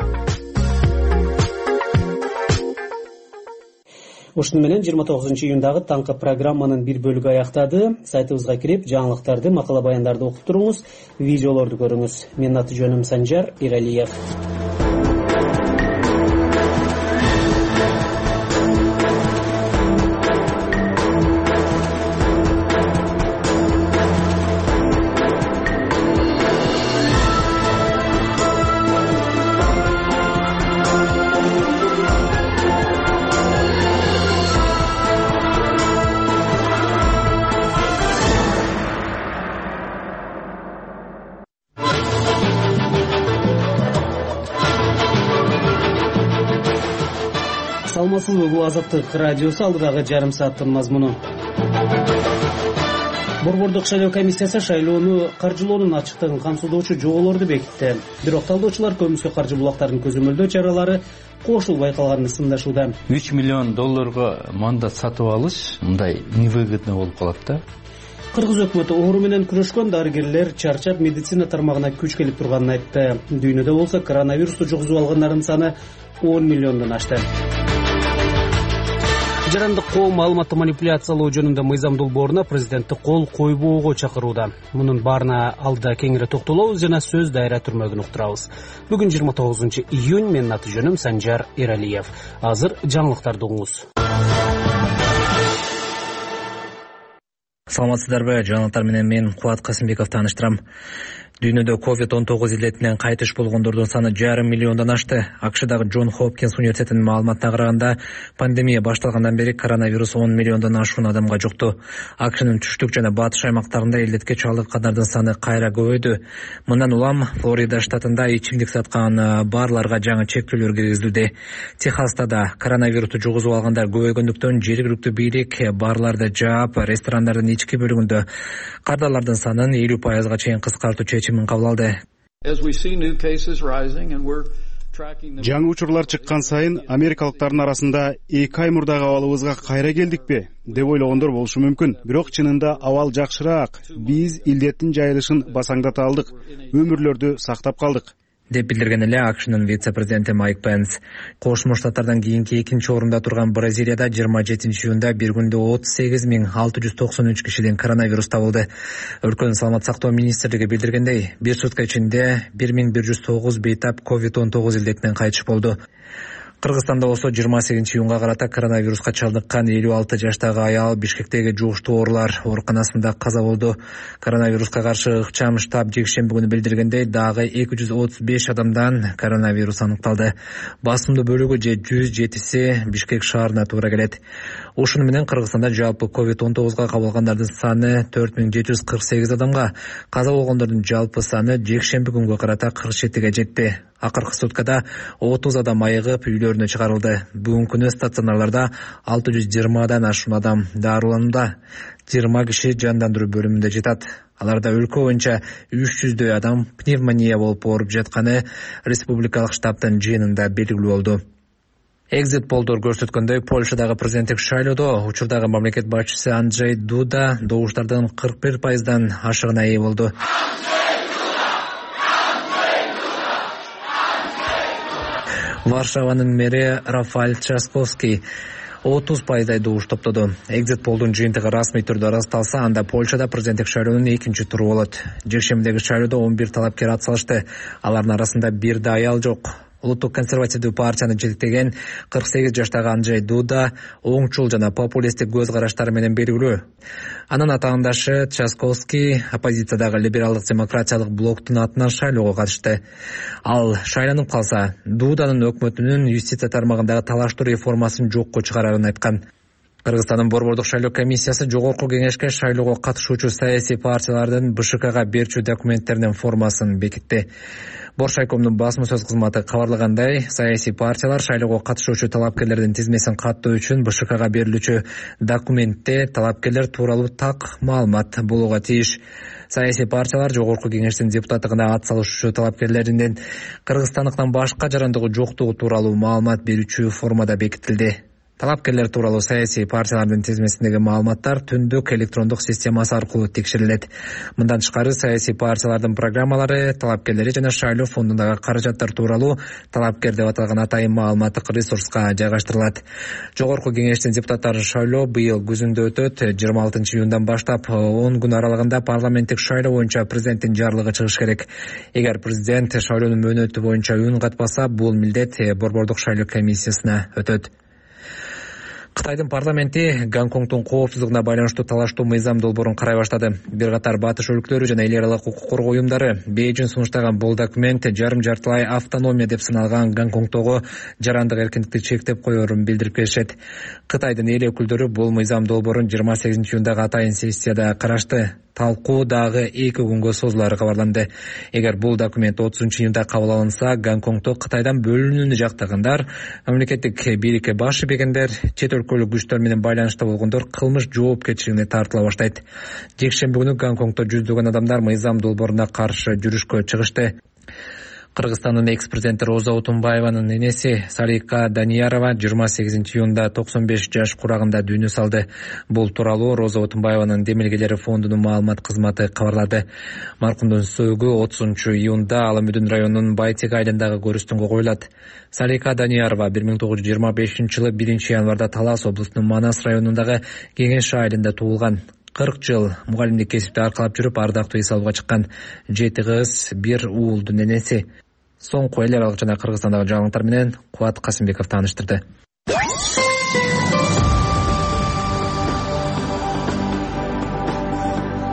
Ушуну менен жыйырма тогузунчу июндагы таңкы программанын бир бөлүгү аяктады. Сайтыбызга кирип, жаңылыктарды, макала баяндарды окуп туруңуз, видеолорду көрүңүз. Менин аты жөнүм Санжар Иралиев. Саламатсызбы, бул Азаттык радиосу, алдыдагы жарым сааттын мазмуну. Борбордук шайлоо комиссиясы шайлоону каржылоонун ачыктыгын камсыздоочу жоболорду бекитти. Бирок талдоочулар көмүскө каржы булактарын көзөмөлдөө чаралары кошул байкалганын сындашууда. үч миллион долларга мандат сатып алыш мындай невыгодно болуп калат да. Кыргыз өкмөтү оору менен күрөшкөн дарыгерлер чарчап медицина тармагына күч келип турганын айтты. Дүйнөдө болсо коронавирусту жугузуп алгандардын саны он миллиондон ашты. Жарандык коом маалыматты манипуляциялоо жөнүндө мыйзам долбооруна президентти кол койбоого чакырууда. Мунун баарына алдыда кеңири токтолобуз жана сөз дайра түрмөгүн уктурабыз. Бүгүн жыйырма тогузунчу июнь, менин аты жөнүм Санжар Иралиев. Азыр жаңылыктарды угуңуз. Саламатсыздарбы, жаңылыктар менен мен Кубат Касымбеков тааныштырам. Дүйнөдө ковид он тогуз илетинен кайтыш болгондордун саны жарым миллиондон ашты. АКШдагы Джон Хопкинс университетинин маалыматына караганда, пандемия башталгандан бери коронавирус он миллиондон ашуун адамга жукту. АКШнын түштүк жана батыш аймактарында илетке чалдыккандардын саны кайра көбөйдү. Мындан улам Флорида штатында ичимдик саткан барларга жаңы чектөөлөр киргизилди. Техаста да коронавирусту жугузуп алгандар көбөйгөндүктөн жергиликтүү бийлик барларды жаап, ресторандардын ички бөлүгүндө кардарлардын санын элүү пайызга чейин кыскартуу чечимин кабыл алды. Жаңы учурлар чыккан сайын америкалыктардын арасында эки ай мурдагы абалыбызга кайра келдикпи деп ойлогондор болушу мүмкүн. Бирок чынында абал жакшыраак. Биз илдеттин жайылышын басаңдата алдык, өмүрлөрдү сактап калдык деп билдирген эле АКШнын вице-президенти Майк Пенс. Кошмо Штаттардан кийинки экинчи орунда турган Бразилияда жыйырма жетинчи июнда бир күндө отуз сегиз миң алты жүз токсон үч кишиден коронавирус табылды. Өлкөнүн саламат сактоо министрлиги билдиргендей, бир сутка ичинде бир миң бир жүз тогуз бейтап ковид он тогуз илдетинен кайтыш болду. Кыргызстанда болсо жыйырма сегизинчи июнга карата коронавируска чалдыккан элүү алты жаштагы аял Бишкектеги жугуштуу оорулар ооруканасында каза болду. Коронавируска каршы ыкчам штаб жекшемби күнү билдиргендей, дагы эки жүз отуз беш адамдан коронавирус аныкталды. Басымдуу бөлүгү же жүз жетиси Бишкек шаарына туура келет. Ушуну менен Кыргызстанда жалпы ковид он тогузга кабылгандардын саны төрт миң жети жүз кырк сегиз адамга, каза болгондордун жалпы саны жекшемби күнгө карата кырк жетиге жетти. Акыркы суткада отуз адам айыгып үйлөрүнө чыгарылды. Бүгүнкү күнү стационарларда алты жүз жыйырмадан ашуун адам дарыланууда. жыйырма киши жандандыруу бөлүмүндө жатат. Аларда өлкө боюнча үч жүздөй адам пневмония болуп ооруп жатканы республикалык штабтын жыйынында белгилүү болду. Экзит полдор көрсөткөндөй, Польшадагы президенттик шайлоодо учурдагы мамлекет башчысы Анджей Дуда добуштардын кырк бир пайыздан ашыгына ээ болду. Варшаванын мэри Рафаэль Трzaskowski отуз пайыздай добуш топтоду. Экзит полдун жыйынтыгы расмий түрдө ырасталса, анда Польшада президенттик шайлоонун экинчи туру болот. Жекшембидеги шайлоодо он бир талапкер ат салышты. Алардын арасында бир да аял жок. Улуттук консервативдүү партияны жетектеген кырк сегиз жаштагы Анджей Дуда оңчул жана популисттик көз караштары менен белгилүү. Анын атаандашы Трzaskowski оппозициядагы либералдык демократиялык блоктун атынан шайлоого катышты. Ал шайланып калса, Дуданын өкмөтүнүн юстиция тармагындагы талаштуу реформасын жокко чыгарарын айткан. Кыргызстандын борбордук шайлоо комиссиясы жогорку кеңешке шайлоого катышуучу саясий партиялардын БШКга берчү документтеринин формасын бекитти. Боршайкомдун басма сөз кызматы кабарлагандай, саясий партиялар шайлоого катышуучу талапкерлердин тизмесин каттоо үчүн БШКга берилүүчү документте талапкерлер тууралуу так маалымат болууга тийиш. Саясий партиялар жогорку кеңештин депутаттыгына ат салышуучу талапкерлеринин кыргызстандыктан башка жарандыгы жоктугу тууралуу маалымат берүүчү формада бекитилди. Талапкерлер тууралуу саясий партиялардын тизмесиндеги маалыматтар түндүк электрондук системасы аркылуу текшерилет. Мындан тышкары саясий партиялардын программалары, талапкерлери жана шайлоо фондундагы каражаттар тууралуу талапкер деп аталган атайын маалыматтык ресурска жайгаштырылат. Жогорку кеңештин депутаттары шайлоо быйыл күзүндө өтөт. жыйырма алтынчы июндан баштап он күн аралыгында парламенттик шайлоо боюнча президенттин жарлыгы чыгыш керек. Эгер президент шайлоонун мөөнөтү боюнча үн катпаса, бул милдет Борбордук шайлоо комиссиясына өтөт. Кытайдын парламенти Гонконгдун коопсуздугуна байланыштуу талаштуу мыйзам долбоорун карай баштады. Бир катар батыш өлкөлөрү жана эл аралык укук коргоо уюмдары Бейжиң сунуштаган бул документ жарым жартылай автономия деп саналган Гонконгдогу жарандык эркиндикти чектеп коерун билдирип келишет. Кытайдын эл өкүлдөрү бул мыйзам долбоорун жыйырма сегизинчи июндагы атайын сессияда карашты. Талкуу дагы эки күнгө созулары кабарланды. Эгер бул документ отузунчу июнда кабыл алынса, Гонконгдо Кытайдан бөлүнүүнү жактагандар, мамлекеттик бийликке баш ийбегендер, чет өлкөлүк күчтөр менен байланышта болгондор кылмыш жоопкерчилигине тартыла баштайт. Жекшемби күнү Гонконгдо жүздөгөн адамдар мыйзам долбооруна каршы жүрүшкө чыгышты. Кыргызстандын экс-президенти Роза Отунбаеванын энеси Салика Даниярова жыйырма сегизинчи июнда токсон беш жаш курагында дүйнө салды. Бул тууралуу Роза Отунбаеванын демилгелери фондунун маалымат кызматы кабарлады. Маркумдун сөөгү отузунчу июнда Ала Мүдүн районунун Байтек айылындагы көрүстөнгө коюлат. Салика Даниярова бир миң тогуз жүз жыйырма бешинчи жылы биринчи январда Талас облусунун Манас районундагы Кеңеш айылында туулган. кырк жыл мугалимдик кесипти аркалап жүрүп, ардактуу эс алууга чыккан. Жети кыз, бир уулдун энеси. Соңку эл аралык жана Кыргызстандагы жаңылыктар менен Кубат Касымбеков тааныштырды.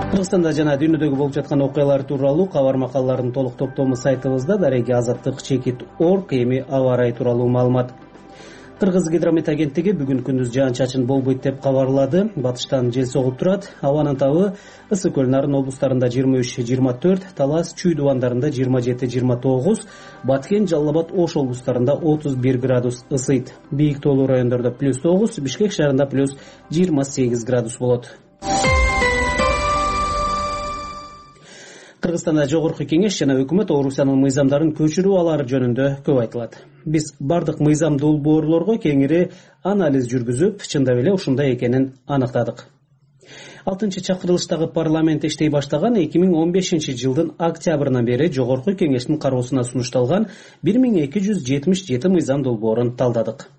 Кыргызстанда жана дүйнөдөгү болуп жаткан окуялар тууралуу кабар макалалардын толук топтому сайтыбызда дареги азаттык чекит орг эми аба ырайы тууралуу маалымат. Кыргыз гидромет агенттиги бүгүн күндүз жаан-чачын болбойт деп кабарлады. Батыштан жел согуп турат. Абанын табы Ысык көл Нарын облустарында жыйырма үч жыйырма төрт, Талас Чүй дубандарында жыйырма жети жыйырма тогуз, Баткен Жалал Абад Ош облустарында отуз бир градус ысыйт. Бийик тоолуу райондордо плюс тогуз, Бишкек шаарында плюс жыйырма сегиз градус болот. Кыргызстанда жогорку кеңеш жана өкмөт Орусиянын мыйзамдарын көчүрүп алары жөнүндө көп айтылат. Биз бардык мыйзам долбоорлорго кеңири анализ жүргүзүп, чындап эле ушундай экенин аныктадык. алтынчы чакырылыштагы парламент иштей баштаган эки миң он бешинчи жылдын октябрынан бери жогорку кеңештин кароосуна сунушталган бир миң эки жүз жетимиш жети мыйзам долбоорун талдадык.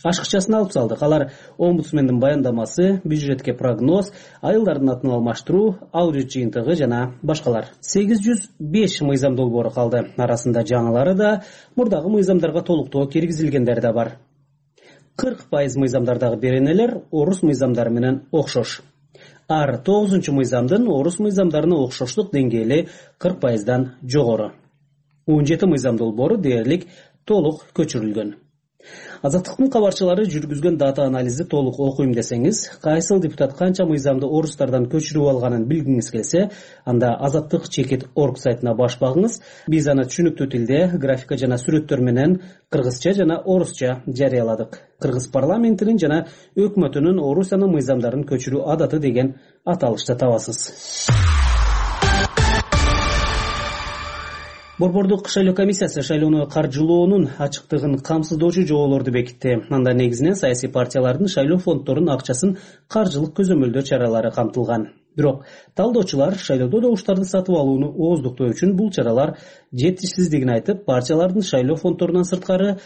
Ашыкчасын алып салдык. Алар омбудсмендин баяндамасы, бюджетке прогноз, айылдардын атын алмаштыруу, аудит жыйынтыгы жана башкалар. сегиз жүз беш мыйзам долбоору калды. Арасында жаңылары да, мурдагы мыйзамдарга толуктоо киргизилгендери да бар. кырк пайыз мыйзамдардагы беренелер орус мыйзамдары менен окшош. Ар тогузунчу мыйзамдын орус мыйзамдарына окшоштук деңгээли кырк пайыздан жогору. он жети мыйзам долбоору дээрлик толук көчүрүлгөн. Азаттыктын кабарчылары жүргүзгөн дата анализди толук окуйм десеңиз, кайсыл депутат канча мыйзамды орустардан көчүрүп алганын билгиңиз келсе, анда азаттык чекит орг сайтына баш багыңыз. Биз аны түшүнүктүү тилде, графика жана сүрөттөр менен кыргызча жана орусча жарыяладык. Кыргыз парламентинин жана өкмөтүнүн Орусиянын мыйзамдарын көчүрүү адаты деген аталышты табасыз. Борбордук шайлоо комиссиясы шайлоону каржылоонун ачыктыгын камсыздоочу жоболорду бекитти. Анда негизинен саясий партиялардын шайлоо фонддорунун акчасын каржылык көзөмөлдөө чаралары камтылган. Бирок талдоочулар шайлоодо добуштарды сатып алууну ооздуктоо үчүн бул чаралар жетишсиздигин айтып, партиялардын шайлоо фонддорунан сырткары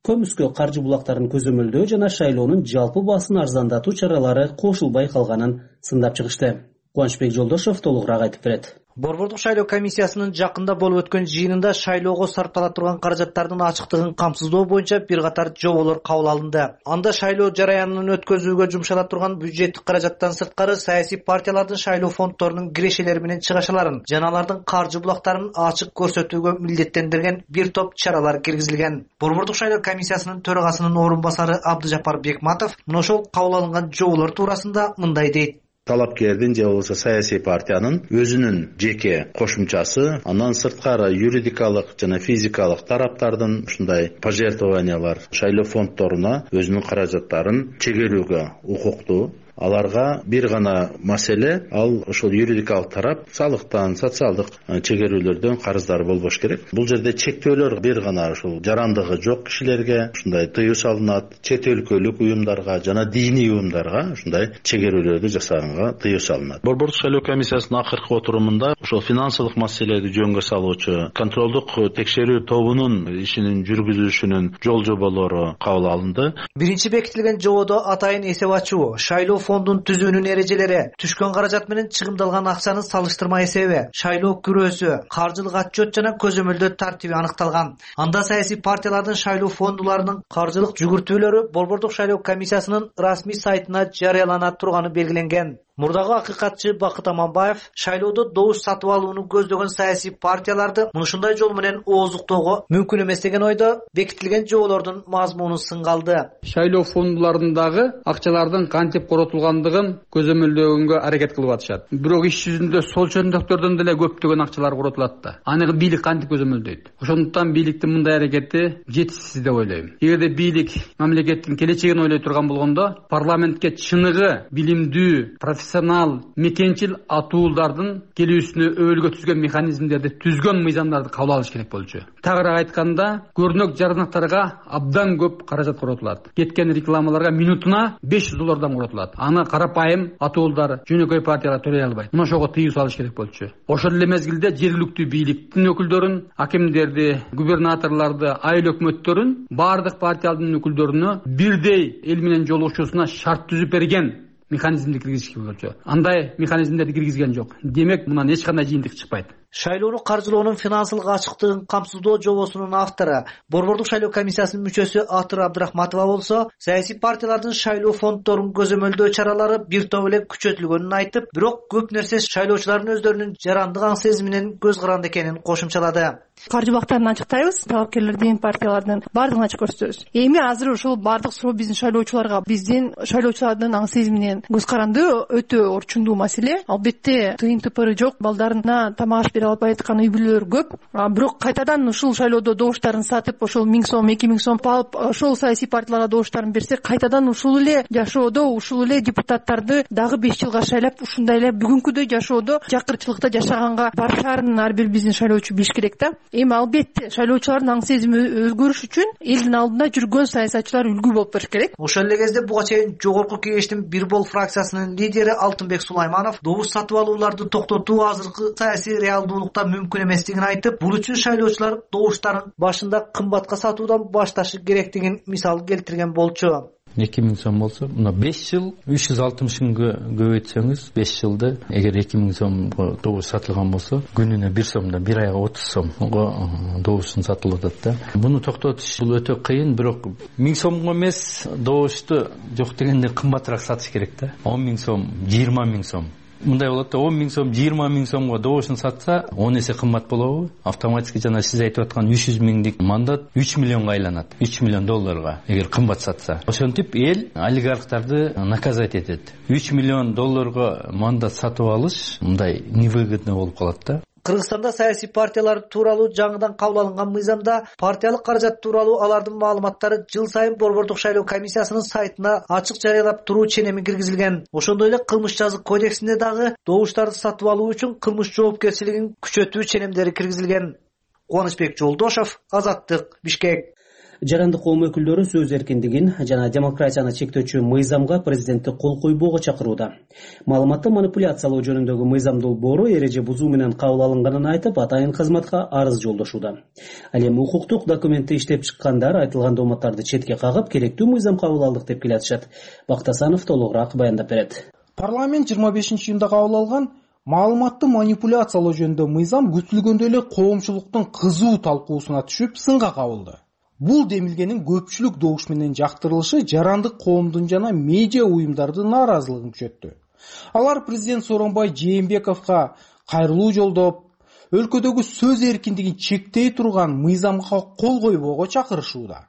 көмүскө каржы булактарын көзөмөлдөө жана шайлоонун жалпы баасын арзандатуу чаралары кошулбай калганын сындап чыгышты. Кубанычбек Жолдошов толугураак айтып берет. Борбордук шайлоо комиссиясынын жакында болуп өткөн жыйынында шайлоого сарптала турган каражаттардын ачыктыгын камсыздоо боюнча бир катар жоболор кабыл алынды. Анда шайлоо жараянын өткөзүүгө жумшала турган бюджеттик каражаттан сырткары саясий партиялардын шайлоо фонддорунун кирешелери менен чыгашаларын жана алардын каржы булактарын ачык көрсөтүүгө милдеттендирген бир топ чаралар киргизилген. Борбордук шайлоо комиссиясынын төрагасынын орун басары Абдыжапар Бекматов мына ошол кабыл алынган жоболор туурасында мындай дейт. Талапкердин же болбосо саясий партиянын өзүнүн жеке кошумчасы, андан сырткары юридикалык жана физикалык тараптардын ушундай пожертвованиялар шайлоо фонддоруна өзүнүн каражаттарын чегерүүгө укуктуу. аларга бир гана маселе, ал ошол юридикалык тарап салыктан, социалдык чегерүүлөрдөн карыздары болбош керек. Бул жерде чектөөлөр бир гана ушул жарандыгы жок кишилерге ушундай тыюу салынат, чет өлкөлүк уюмдарга жана диний уюмдарга ушундай чегерүүлөрдү жасаганга тыюу салынат. Борбордук шайлоо комиссиясынын акыркы отурумунда ошол финансылык маселени жөнгө салуучу контролдук текшерүү тобунун ишинин жүргүзүшүнүн жол жоболору кабыл алынды. Биринчи бекитилген жободо атайын эсеп ачуу, шайлоо фондун түзүүнүн эрежелери, түшкөн каражат менен чыгымдалган акчанын салыштырма эсеби, шайлоо күрөөсү, каржылык отчет жана көзөмөлдөө тартиби аныкталган. Анда саясий партиялардын шайлоо фондуларынын каржылык жүгүртүүлөрү Борбордук шайлоо комиссиясынын расмий сайтына жарыялана турганы белгиленген. Мурдагы акыйкатчы Бакыт Аманбаев шайлоодо добуш сатып алууну көздөгөн саясий партияларды мынушундай жол менен ооздуктоого мүмкүн эмес деген ойдо бекитилген жоболордун мазмунун сынгалды. Шайлоо фондуларындагы акчалардын кантип коротулгандыгын көзөмөлдөгөнгө аракет кылып атышат. Бирок иш жүзүндө сол чөндүктөрдөн деле көптөгөн акчалар коротулат да. Аны бийлик кантип көзөмөлдөйт? Ошондуктан бийликтин мындай аракети жетишсиз деп ойлойм. Эгерде бийлик мамлекеттин келечегин ойлой турган болгондо, парламентке чыныгы билимдүү, профессионал, мекенчил атуулдардын келүүсүнө өбөлгө түзгөн механизмдерди түзгөн мыйзамдарды кабыл алыш керек болчу. Тагыраак айтканда, көрнөк жаранактарга абдан көп каражат коротулат. Кеткен рекламаларга минутуна беш жүз доллардан коротулат. Аны карапайым атуулдар, жөнөкөй партиялар төлөй албайт. Мына ошого тыюу салыш керек болчу. Ошол эле мезгилде жергиликтүү бийликтин өкүлдөрүн, акимдерди, губернаторлорду, айыл өкмөттөрүн бардык партиялардын өкүлдөрүнө бирдей эл менен жолугушуусуна шарт түзүп берген механизмди киргизиш болчу. Андай механизмдерди киргизген жок. Демек, мындан эч кандай жыйынтык чыкпайт. Шайлоону каржылоонун финансылык ачыктыгын камсыздоо жобосунун автору, Борбордук шайлоо комиссиясынын мүчөсү Атыр Абдрахматова болсо, саясий партиялардын шайлоо фонддорун көзөмөлдөө чаралары бир топ эле күчөтүлгөнүн айтып, бирок көп нерсе шайлоочулардын өздөрүнүн жарандык аң сезиминин көз каранды экенин кошумчалады. Каржы бактарын ачыктайбыз, талапкерлердин, партиялардын бардыгын ачык көрсөтөбүз. Эми азыр ошол бардык суроо биздин шайлоочуларга, биздин шайлоочулардын аң сезиминен көз каранды өтө орчундуу маселе. Албетте тыйын тыпыры жок, балдарына тамак аш бере албай аткан үй бүлөлөр көп. Бирок кайтадан ушул шайлоодо добуштарын сатып, ошол миң сом, эки миң сом алып, ошол саясий партияларга добуштарын берсе, кайтадан ушул эле жашоодо, ушул эле депутаттарды дагы беш жылга шайлап, ушундай эле бүгүнкүдөй жашоодо, жакырчылыкта жашаганга барышаарын ар бир биздин шайлоочу билиш керек да. Эми албетте шайлоочулардын аң сезими өзгөрүш үчүн элдин алдында жүргөн саясатчылар үлгү болуп бериш керек. Ошол эле кезде буга чейин жогорку кеңештин Бир бол фракциясынын лидери Алтынбек Сулайманов добуш сатып алууларды токтотуу азыркы саясий реалдуулукта мүмкүн эместигин айтып, бул үчүн шайлоочулар добуштарын башында кымбатка сатуудан башташы керектигин мисал келтирген болчу. эки миң сом болсо, мына беш жыл үч жүз алтымыш күнгө көбөйтсөңүз, беш жылда эгер эки миң сомго добуш сатылган болсо, күнүнө бир сомдон бир айга отуз сомго добуштун сатылып атат да. Буну токтотуш бул өтө кыйын, бирок миң сомго эмес, добушту жок дегенде кымбатыраак сатыш керек да. он миң сом, жыйырма миң сом. Мындай болот да, он миң сом, жыйырма миң сомго добушун сатса, он эсе кымбат болобу? Автоматически жана сиз айтып аткан үч жүз миңдик мандат үч миллионго айланат. үч миллион долларга эгер кымбат сатса. Ошентип эл олигархтарды наказать этет. үч миллион долларга мандат сатып алыш мындай невыгодно болуп калат да. Кыргызстанда саясий партиялар тууралуу жаңыдан кабыл алынган мыйзамда партиялык каражат тууралуу алардын маалыматтары жыл сайын Борбордук шайлоо комиссиясынын сайтына ачык жарыялап туруу ченеми киргизилген. Ошондой эле кылмыш жазык кодексинде дагы добуштарды сатып алуу үчүн кылмыш жоопкерчилигин күчөтүү ченемдери киргизилген. Кубанычбек Жолдошов, Азаттык, Бишкек. Жарандык коом өкүлдөрү сөз эркиндигин жана демократияны чектөөчү мыйзамга президентти кол койбоого чакырууда. Маалыматты манипуляциялоо жөнүндөгү мыйзам долбоору эреже бузуу менен кабыл алынганын айтып, атайын кызматка арыз жолдошууда. Ал эми укуктук документти иштеп чыккандар айтылган дооматтарды четке кагып, керектүү мыйзам кабыл алдык деп келатышат. Бактасанов толугураак баяндап берет. Парламент жыйырма бешинчи июнда кабыл алган маалыматты манипуляциялоо жөнүндө мыйзам күтүлгөндөй эле коомчулуктун кызуу талкуусуна түшүп, сынга кабылды. Бул демилгенин көпчүлүк добуш менен жактырылышы жарандык коомдун жана медиа уюмдардын нааразылыгын күчөттү. Алар президент Сооронбай Жээнбековго кайрылуу жолдоп, өлкөдөгү сөз эркиндигин чектей турган мыйзамга кол койбоого чакырышууда.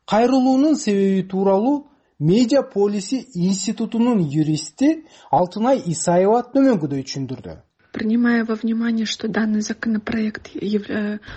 Кайрылуунун себеби тууралуу Медиа полиси институтунун юристи Алтынай Исаева төмөнгөдөй түшүндүрдү. Принимая во внимание, что данный законопроект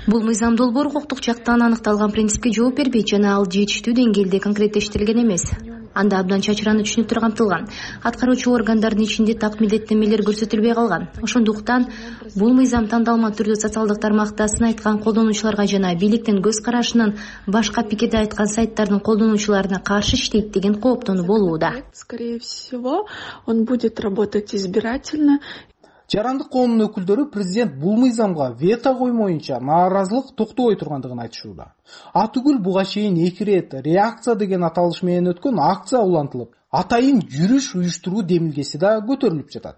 бул мыйзам долбоору укуктук жактан аныкталган принципке жооп бербейт жана ал жетиштүү деңгээлде конкреттештирилген эмес. анда абдан чачыраны түшүнүктөр камтылган. Аткаруучу органдардын ичинде так милдеттенмелер көрсөтүлбөй калган. Ошондуктан бул мыйзам тандалма түрдө социалдык тармакта сын айткан колдонуучуларга жана бийликтин көз карашынын башка пикирде айткан сайттардын колдонуучуларына каршы иштейт деген кооптонуу болууда. Скорее всего, он будет работать избирательно. Жарандык коомдун өкүлдөрү президент бул мыйзамга вето коймоюнча нааразылык токтобой тургандыгын айтышууда. Атүгүл буга чейин эки ирет реакция деген аталыш менен өткөн акция улантылып, атайын жүрүш уюштуруу демилгеси да көтөрүлүп жатат.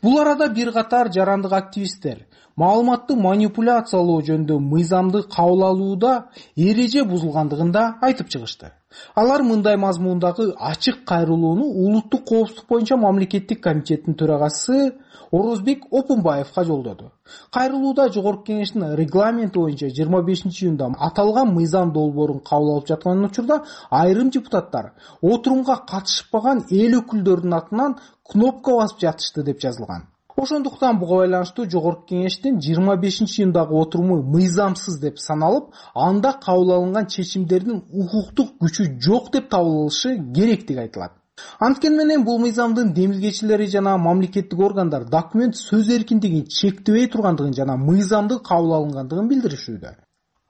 Бул арада бир катар жарандык активисттер маалыматты манипуляциялоо жөнүндө мыйзамды кабыл алууда эреже бузулгандыгын да айтып чыгышты. Алар мындай мазмундагы ачык кайрылууну улуттук коопсуздук боюнча мамлекеттик комитеттин төрагасы Орозбек Опунбаевга жолдоду. Кайрылууда жогорку кеңештин регламенти боюнча жыйырма бешинчи июнда аталган мыйзам долбоорун кабыл алып жаткан учурда айрым депутаттар отурумга катышпаган эл өкүлдөрүнүн атынан кнопка басып жатышты деп жазылган. Ошондуктан буга байланыштуу жогорку кеңештин жыйырма бешинчи июндагы отуруму мыйзамсыз деп саналып, анда кабыл алынган чечимдердин укуктук күчү жок деп табылышы керектиги айтылат. Анткени менен бул мыйзамдын демилгечилери жана мамлекеттик органдар документ сөз эркиндигин чектебей тургандыгын жана мыйзамдын кабыл алынгандыгын билдиришүүдө.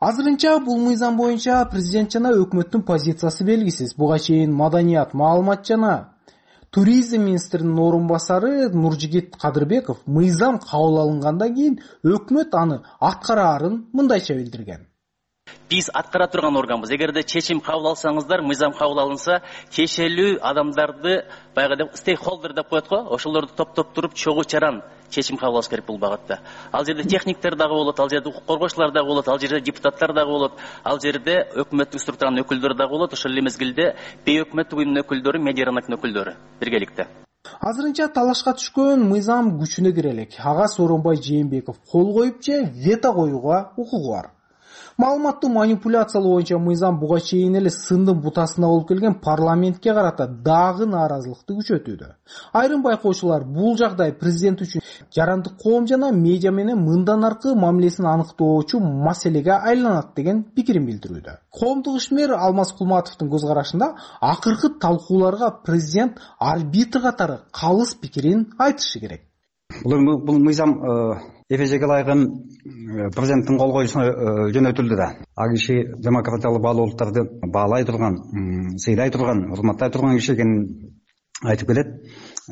Азырынча бул мыйзам боюнча президент жана өкмөттүн позициясы белгисиз. Буга чейин маданият, маалымат жана туризм министринин орун басары Нуржигит Кадырбеков мыйзам кабыл алынгандан кийин өкмөт аны аткараарын мындайча билдирген. Биз аткара турган органбыз. Эгерде чечим кабыл алсаңыздар, мыйзам кабыл алынса, тиешелүү адамдарды баягы стейкхолдер деп коет го, ошолорду топтоп туруп чогуу чаран чечим кабыл алыш керек бул багытта. Ал жерде техниктер дагы болот, ал жерде укук коргоочулар дагы болот, ал жерде депутаттар дагы болот, ал жерде өкмөттүк структуранын өкүлдөрү дагы болот, ошол эле мезгилде бейөкмөттүк уюмдун өкүлдөрү, медиа рыноктун өкүлдөрү биргеликте. Азырынча талашка түшкөн мыйзам күчүнө кире элек. Ага Сооронбай Жээнбеков кол коюп же вето коюуга укугу бар. Маалыматты манипуляциялоо боюнча мыйзам буга чейин эле сындын бутасына болуп келген парламентке карата дагы нааразылыкты күчөтүүдө. Айрым байкоочулар бул жагдай президент үчүн жарандык коом жана медиа менен мындан аркы мамилесин аныктоочу маселеге айланат деген пикирин билдирүүдө. Коомдук ишмер Алмаз Кулматовдун көз карашында акыркы талкууларга президент арбитр катары калыс пикирин айтышы керек. Бул мыйзам эрежеге ылайыгын президенттин кол коюшуна жөнөтүлдү да. А киши демократиялык баалуу улуттарды баалай турган, сыйлай турган, урматтай турган киши экенин айтып келет.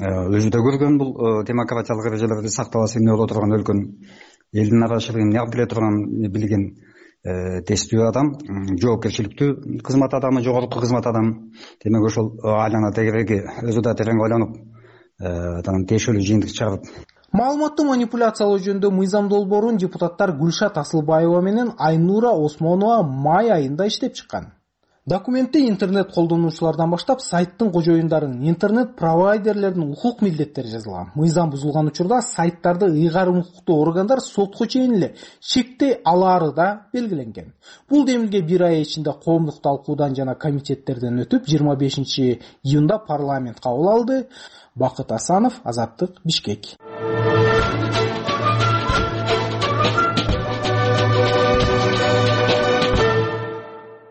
Өзү да көргөн бул демократиялык эрежелерди сакталасы эмне боло турган өлкөнүн элдин арачылыгын неап биле турган билген тестүү адам, жоопкерчиликтүү кызмат адамы, жогорку кызмат адамы. Демек ошол айлана тегереги өзү да терең ойлонуп, тиешелүү жыйынтык чыгарып. Маалыматты манипуляциялоо жөнүндө мыйзам долбоорун депутаттар Гүлшат Асылбаева менен Айнура Осмонова май айында иштеп чыккан. Документте интернет колдонуучулардан баштап сайттын кожоюндарын, интернет провайдерлердин укук милдеттери жазылган. Мыйзам бузулган учурда сайттарды ыйгарым укуктуу органдар сотко чейин эле чектей алаары да белгиленген. Бул демилге бир ай ичинде коомдук талкуудан жана комитеттерден өтүп, жыйырма бешинчи июнда парламент кабыл алды. Бакыт Асанов, Азаттык, Бишкек.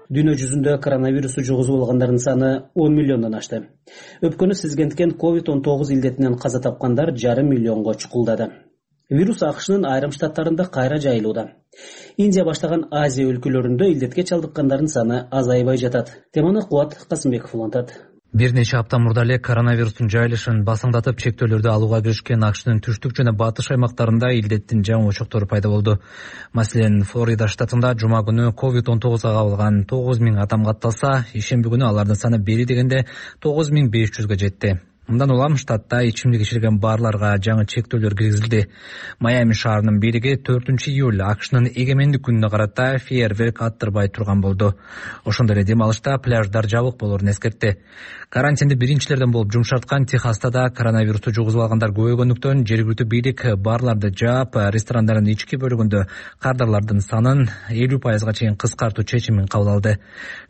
Дүйнө жүзүндө коронавирусу жугузуп алгандардын саны он миллиондон ашты. Өпкөнү сизгенткен ковид он тогуз илдетинен каза тапкандар жарым миллионго чукулдады. Вирус АКШнын айрым штаттарында кайра жайылууда. Индия баштаган Азия өлкөлөрүндө илдетке чалдыккандардын саны азайбай жатат. Теманы Кубат Касымбеков улантат. Бир нече апта мурда эле коронавирустун жайылышын басыңдатып чектөөлөрдү алууга киришкен АКШнын түштүк жана батыш аймактарында илдеттин жаңы очоктору пайда болду. Маселен, Флорида штатында жума күнү ковид он тогузга кабылган тогуз миң адам катталса, ишемби күнү алардын саны бери дегенде тогуз миң беш жүзгө жетти. Мындан улам штатта ичимдик ичилген барларга жаңы чектөөлөр киргизилди. Майами шаарынын бийлиги төртүнчү июль АКШнын эгемендик күнүнө карата фейерверк аттырбай турган болду. Ошондой эле дем алышта пляждар жабык болоорун эскертти. Карантинди биринчилерден болуп жумшарткан Техаста да коронавирусту жугузуп алгандар көбөйгөндүктөн жергиликтүү бийлик барларды жаап, ресторандардын ички бөлүгүндө кардарлардын санын элүү пайызга чейин кыскартуу чечимин кабыл алды.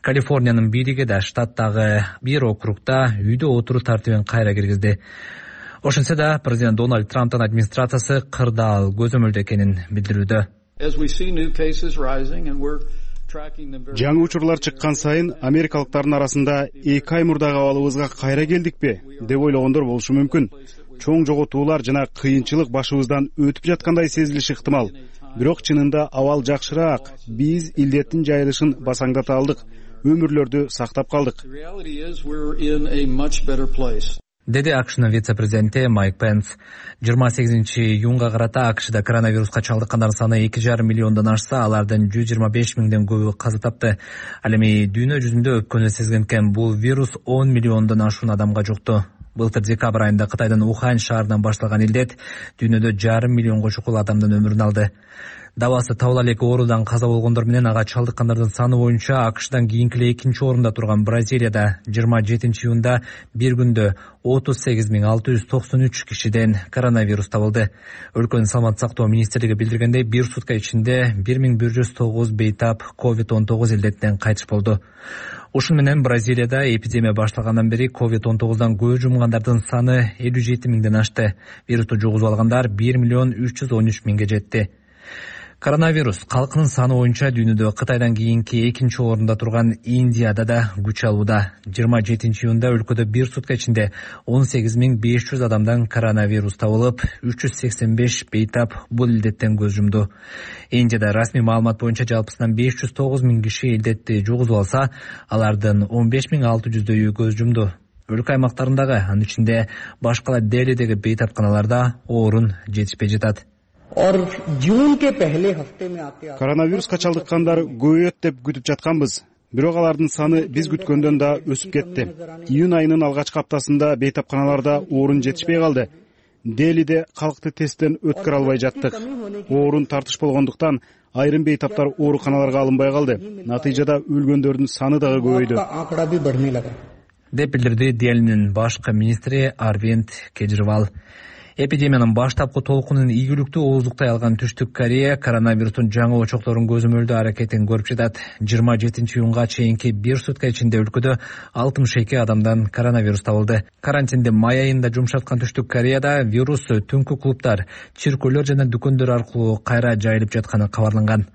Калифорниянын бийлиги да штаттагы бир округда үйдө отуруу тартибин кайра киргизди. Ошентсе да президент Дональд Трамптын администрациясы кырдаал көзөмөлдө экенин билдирүүдө. жаңы учурлар чыккан сайын америкалыктардын арасында эки ай мурдагы абалыбызга кайра келдикпи деп ойлогондор болушу мүмкүн. Чоң жоготуулар жана кыйынчылык башыбыздан өтүп жаткандай сезилиши ыктымал. Бирок чынында абал жакшыраак. Биз илдеттин жайылышын басаңдата алдык, өмүрлөрдү сактап калдык, деди АКШнын вице-президенти Майк Пенс. жыйырма сегизинчи июнга карата АКШда коронавируска чалдыккандардын саны эки жарым миллиондон ашса, алардын жүз жыйырма беш миңден көбү каза тапты. Ал эми дүйнө жүзүндө өпкөнү сезген экен. Бул вирус он миллиондон ашуун адамга жукту. Былтыр декабрь айында Кытайдын Ухань шаарынан башталган илдет дүйнөдө жарым миллионго чукул адамдын өмүрүн алды. Дабасы табыла элек оорудан каза болгондор менен ага чалдыккандардын саны боюнча АКШдан кийинки эле экинчи орунда турган Бразилияда жыйырма жетинчи июнда бир күндө отуз сегиз миң алты жүз токсон үч кишиден коронавирус табылды. Өлкөнүн саламаттык сактоо министрлиги билдиргендей, бир сутка ичинде бир миң бир жүз тогуз бейтап ковид он тогуз илдетинен кайтыш болду. Ушун менен Бразилияда эпидемия башталгандан бери ковид он тогуздан көз жумгандардын саны элүү жети миңден ашты. Вирусту жугузуп алгандар бир миллион үч жүз он үч миңге жетти. Коронавирус калкынын саны боюнча дүйнөдө Кытайдан кийинки экинчи орунда турган Индияда да күч алууда. жыйырма жетинчи июнда өлкөдө бир сутка ичинде он сегиз миң беш жүз адамдан коронавирус табылып, үч жүз сексен беш бейтап бул илдеттен көз жумду. Индияда расмий маалымат боюнча жалпысынан беш жүз тогуз миң киши илдетти жугузуп алса, алардын он беш миң алты жүздөйү көз жумду. Өлкө аймактарындагы, анын ичинде башкала Делидеги бейтапканаларда орун жетишпей жатат. Коронавируска чалдыккандар көбөйөт деп күтүп жатканбыз. Бирок алардын саны биз күткөндөн да өсүп кетти. Июнь айынын алгачкы аптасында бейтапканаларда орун жетишпей калды. Делиде калкты тесттен өткөрө албай жаттык. Орун тартыш болгондуктан айрым бейтаптар ооруканаларга алынбай калды. Натыйжада өлгөндөрдүн саны дагы көбөйдү, деп билдирди Делинин башкы министри Арвинд Кежривал. Эпидемиянын баштапкы толкунун ийгиликтүү ооздуктай алган Түштүк Корея коронавирустун жаңы очокторун көзөмөлдөө аракетин көрүп жатат. жыйырма жетинчи июнга чейинки бир сутка ичинде өлкөдө алтымыш эки адамдан коронавирус табылды. Карантинди май айында жумшаткан Түштүк Кореяда вирус түнкү клубтар, чиркөөлөр жана дүкөндөр аркылуу кайра жайылып жатканы кабарланган.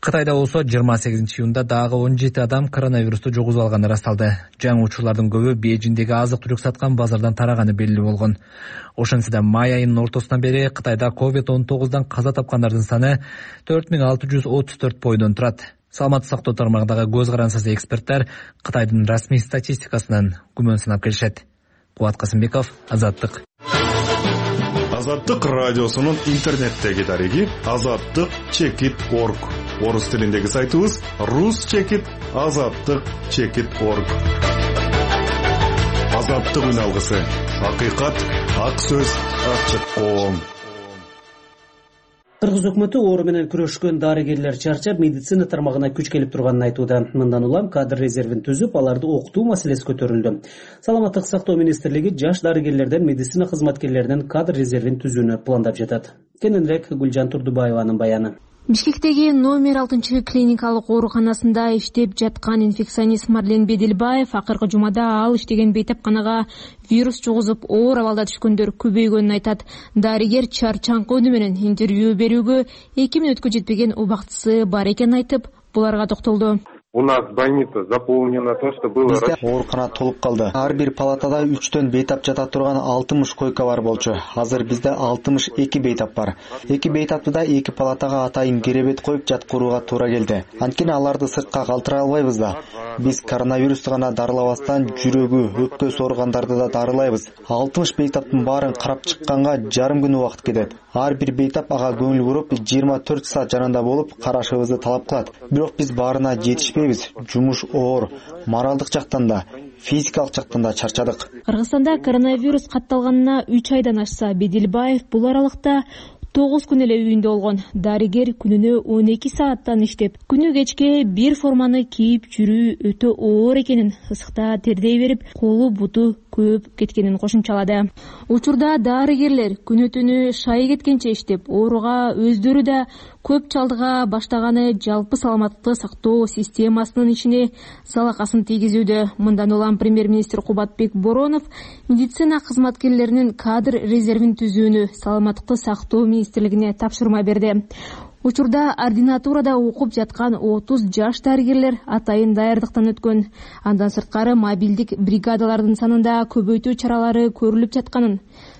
Кытайда болсо жыйырма сегизинчи июнда дагы он жети адам коронавирусту жугузуп алганы ырасталды. Жаңы учурлардын көбү Бейжиңдеги азык-түлүк саткан базардан тараганы белгилүү болгон. Ошентсе да май айынын ортосунан бери Кытайда ковид он тогуздан каза тапкандардын саны төрт миң алты жүз отуз төрт бойдон турат. Саламаттык сактоо тармагындагы көз карансыз эксперттер Кытайдын расмий статистикасынан күмөн санап келишет. Кубат Касымбеков, Азаттык. Азаттык радиосунун интернеттеги дареги азаттык чекит точка орг. Орус тилиндеги сайтыбыз рус чекит азаттык чекит точка орг. Азаттык үн алгысы. Акыйкат, ак сөз, ачык коом. Кыргыз өкмөтү оору менен күрөшкөн дарыгерлер чарчап, медицина тармагына күч келип турганын айтууда. Мындан улам кадр резервин түзүп, аларды окутуу маселеси көтөрүлдү. Саламаттык сактоо министрлиги жаш дарыгерлерден, медицина кызматкерлеринен кадр резервин түзүүнү пландап жатат. Кененирээк Гүлжан Турдубаеванын баяны. Бишкектеги номер алтынчы клиникалык ооруканасында иштеп жаткан инфекционист Марлен Бедилбаев акыркы жумада ал иштеген бейтапканага вирус жугузуп оор абалда түшкөндөр көбөйгөнүн айтат. Дарыгер чарчаңкы үнү менен интервью берүүгө эки мүнөткө жетпеген убактысы бар экенин айтып, буларга токтолду. У нас больница заполнена, то, что было... Бизде оорукана толуп калды. Ар бир палатада үчтөн бейтап жата турган алтымыш койка бар болчу. Азыр бизде алтымыш эки бейтап бар. Эки бейтапты да эки палатага атайын керебет коюп жаткырууга туура келди. Анткени аларды сыртка калтыра албайбыз да. Биз коронавирусту гана дарылабастан жүрөгү, өпкөсү ооругандарды да дарылайбыз. алтымыш бейтаптын баарын карап чыкканга жарым күн убакыт кетет. Ар бир бейтап ага көңүл буруп, жыйырма төрт саат жанында болуп карашыбызды талап кылат. Бирок биз баарына жетишпейбиз. Жумуш оор, моралдык жактан да, физикалык жактан да чарчадык. Кыргызстанда коронавирус катталганына үч айдан ашса, Бедилбаев бул аралыкта тогуз күн эле үйүндө болгон. Дарыгер күнүнө он эки сааттан иштеп, күнү кечке бир форманы кийип жүрүү өтө оор экенин, ысыкта тердей берип, колу буту көп кеткенин кошумчалады. Учурда дарыгерлер күнү түнү шайы кеткенче иштеп, ооруга өздөрү да көп чалдыга баштаганы жалпы саламаттыкты сактоо системасынын ичине залакасын тийгизүүдө. Мындан улам премьер-министр Кубатбек Боронов медицина кызматкерлеринин кадр резервин түзүүнү саламаттыкты сактоо министрлигине тапшырма берди. Учурда ординатурада окуп жаткан отуз жаш дарыгерлер атайын даярдыктан өткөн. Андан сырткары мобилдик бригадалардын санында көбөйтүү чаралары көрүлүп жатканын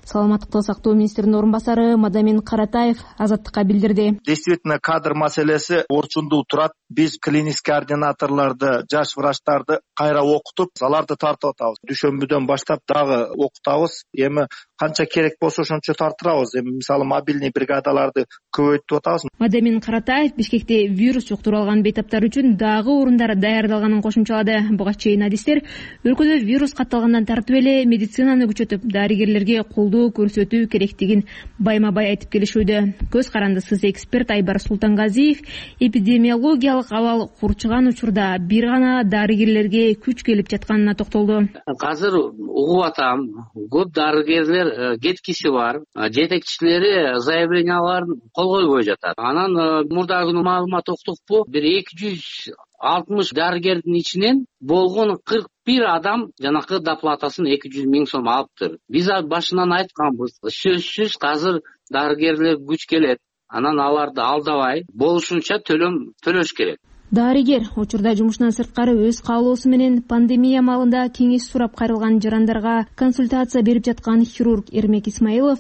саламаттык сактоо министринин орун басары Мадамин Каратаев Азаттыкка билдирди. Действительно, кадр маселеси орчундуу турат. Биз клиникский ординаторлорду, жаш врачтарды кайра окутуп, аларды тартып атабыз. Дүшөмбүдөн баштап дагы окутабыз. Эми канча керек болсо ошончо тартырабыз. Эми мисалы мобильный бригадаларды көбөйтүп атабыз. Мадамин Каратаев Бишкекте вирус жуктуруп алган бейтаптар үчүн дагы орундар даярдалганын кошумчалады. Буга чейин адистер өлкөдө вирус катталгандан тартып эле медицинаны күчөтүп, дарыгерлерге колдоо көрсөтүү керектигин байма-бай айтып келишүүдө. Көз карандысыз эксперт Айбар Султангазиев эпидемиологиялык абал курчуган учурда бир гана дарыгерлерге күч келип жатканына токтолду. Азыр угуп атам, көп дарыгерлер кеткиси бар, жетекчилери заявленияларын кол койбой жатат. Анан мурдагы күнү маалымат уктукпу, бир эки жүз алтымыш дарыгердин ичинен болгон кырк бир адам жанакы доплатасын эки жүз миң сом алыптыр. Биз башынан айтканбыз, сөзсүз азыр дарыгерлер күч келет. Анан аларды алдабай болушунча төлөм төлөш керек. Дарыгер учурда жумушунан сырткары өз каалоосу менен пандемия маалында кеңеш сурап кайрылган жарандарга консультация берип жаткан хирург Эрмек Исмаилов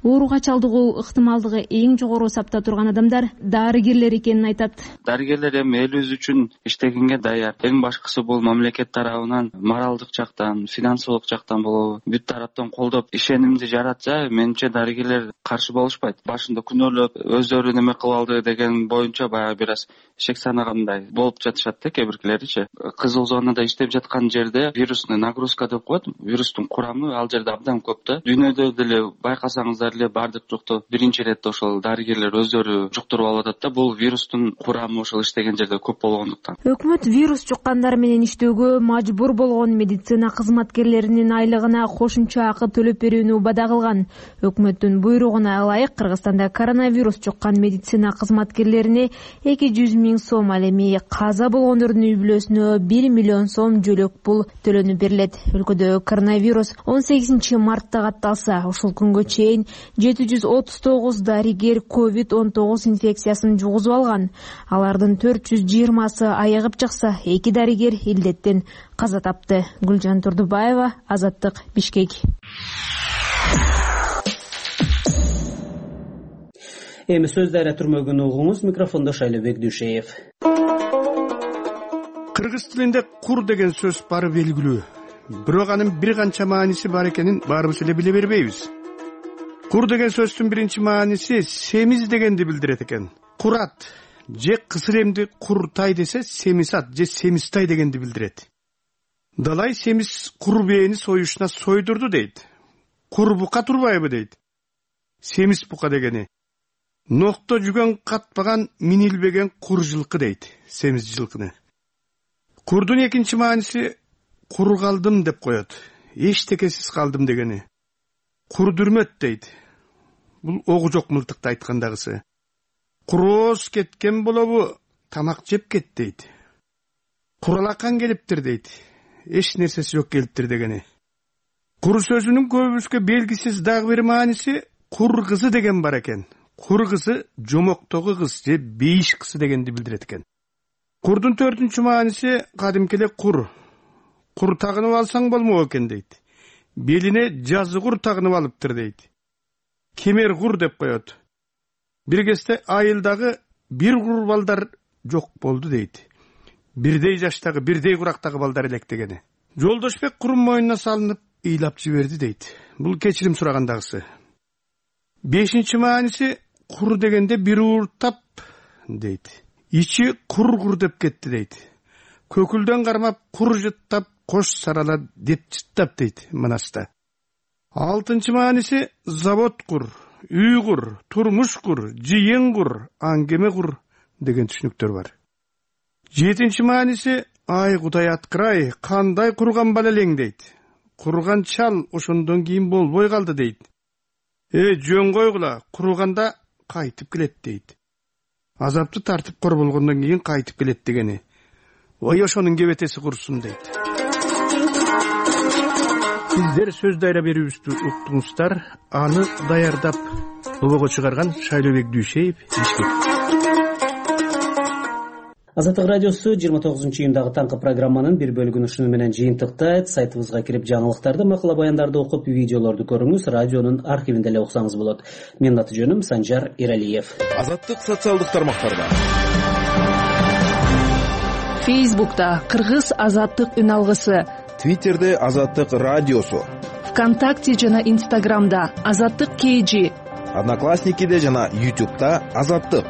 ооруга чалдыгуу ыктымалдыгы эң жогору сапта турган адамдар дарыгерлер экенин айтат. Дарыгерлер эми элибиз үчүн иштегенге даяр. Эң башкысы бул мамлекет тарабынан, моралдык жактан, финансылык жактан болобу, бүт тараптан колдоп ишенимди жаратса, менимче дарыгерлер каршы болушпайт. Башында күнөөлөп өздөрү неме кылып алды деген боюнча баягы бир аз шек санагандай болуп жатышат да кээбиркилеричи. Кызыл зонада иштеп жаткан жерде вирусный нагрузка деп коет, вирустун курамы ал жерде абдан көп да. Дүйнөдө деле байкасаңыздар эле бардык жукты биринчи иретте ошол дарыгерлер өздөрү жуктуруп алып атат да. Бул вирустун курамы ошол иштеген жерде көп болгондуктан. Өкмөт вирус жуккандар менен иштөөгө мажбур болгон медицина кызматкерлеринин айлыгына кошумча акы төлөп берүүнү убада кылган. Өкмөттүн буйругуна ылайык Кыргызстанда коронавирус жуккан медицина кызматкерлерине эки жүз миң сом, ал эми каза болгондордун үй бүлөсүнө бир миллион сом жөлөк пул төлөнүп берилет. Өлкөдө коронавирус он сегизинчи мартта катталса, ушул күнгө чейин жети жүз отуз тогуз дарыгер ковид он тогуз инфекциясын жугузуп алган. Алардын төрт жүз жыйырмасы айыгып чыкса, эки дарыгер илдеттен каза тапты. Гүлжан Турдубаева, Азаттык, Бишкек. Эми сөз дайра түрмөгүн угуңуз, микрофондо Шайлобек Дүйшеев. Кыргыз тилинде кур деген сөз бары белгилүү. Бирок анын бир канча мааниси бар экенин баарыбыз эле биле бербейбиз. Кур деген сөздүн биринчи мааниси семиз дегенди билдирет экен. Курат же кысылемди куртай десе, семисат же семистай дегенди билдирет. Далай семиз кур бээни союшуна сойдурду дейт. Кур бука турбайбы дейт. Семиз бука дегени нокто жүгөн катпаган минилбеген кур жылкы дейт, семиз жылкыны. Курдун экинчи мааниси кур калдым деп коет. Эчтекесиз калдым дегени. Курдүрмөт дейт. Бул огу жок мылтыкты айткандагысы. Курооз кеткен болобу, тамак жеп кет дейт. Куралакан келиптир дейт. Эч нерсеси жок келиптир дегени. Кур сөзүнүн көбүбүзгө белгисиз дагы бир мааниси кур кызы деген бар экен. Кур кызы жомоктогу кыз же бейиш кызы дегенди билдирет экен. Курдун төртүнчү мааниси кадимки эле кур. Кур тагынып алсаң болмок экен дейт. Белине жазы кур тагынып алыптыр дейт. Кемер кур деп коет. Бир кезде айылдагы бир кур балдар жок болду дейт. Бирдей жаштагы, бирдей курактагы балдар элек дегени. Жолдошбек курун мойнуна салынып ыйлап жиберди дейт. Бул кечирим сурагандагысы. Бешинчи мааниси кур дегенде бир ууртап дейт. Ичи кур-кур деп кетти дейт. Көкүлдөн кармап кур жыттап, кош сарала деп жыттап дейт Манаста. Алтынчы мааниси завод кур, үй кур, турмуш кур, жыйын кур, аңгеме кур деген түшүнүктөр бар. Жетинчи мааниси ай Кудай аткырай, кандай курган бала элең дейт. Курган чал ошондон кийин болбой калды дейт. Э, жөн койгула, курганда кайтып келет дейт. Азапты тартып кор болгондон кийин кайтып келет дегени. Ой, ошонун кебетеси курсун дейт. Сиздер сөз дайра берүүбүздү уктуңуздар. Аны даярдап, добого чыгарган Шайлобек Дүйшеев, Бишкек. Азаттык радиосу жыйырма тогузунчу июндагы таңкы программанын бир бөлүгүн ушуну менен жыйынтыктайт. Сайтыбызга кирип жаңылыктарды, макала баяндарды окуп, видеолорду көрүңүз. Радионун архивинде эле уксаңыз болот. Менин аты жөнүм Санжар Иралиев. Азаттык социалдык тармактарда. Фейсбукта Кыргыз азаттык үн алгысы, Твиттерде Азаттык радиосу, ВКонтакте жана Инстаграмда Азаттык кейжи, Одноклассникиде жана Ютубта Азаттык.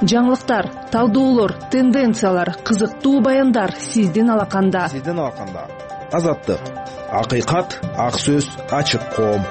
Жаңылыктар, талдоолор, тенденциялар, кызыктуу баяндар сиздин алаканда. Сиздин алаканда. Азаттык. Акыйкат, ак сөз, ачык коом.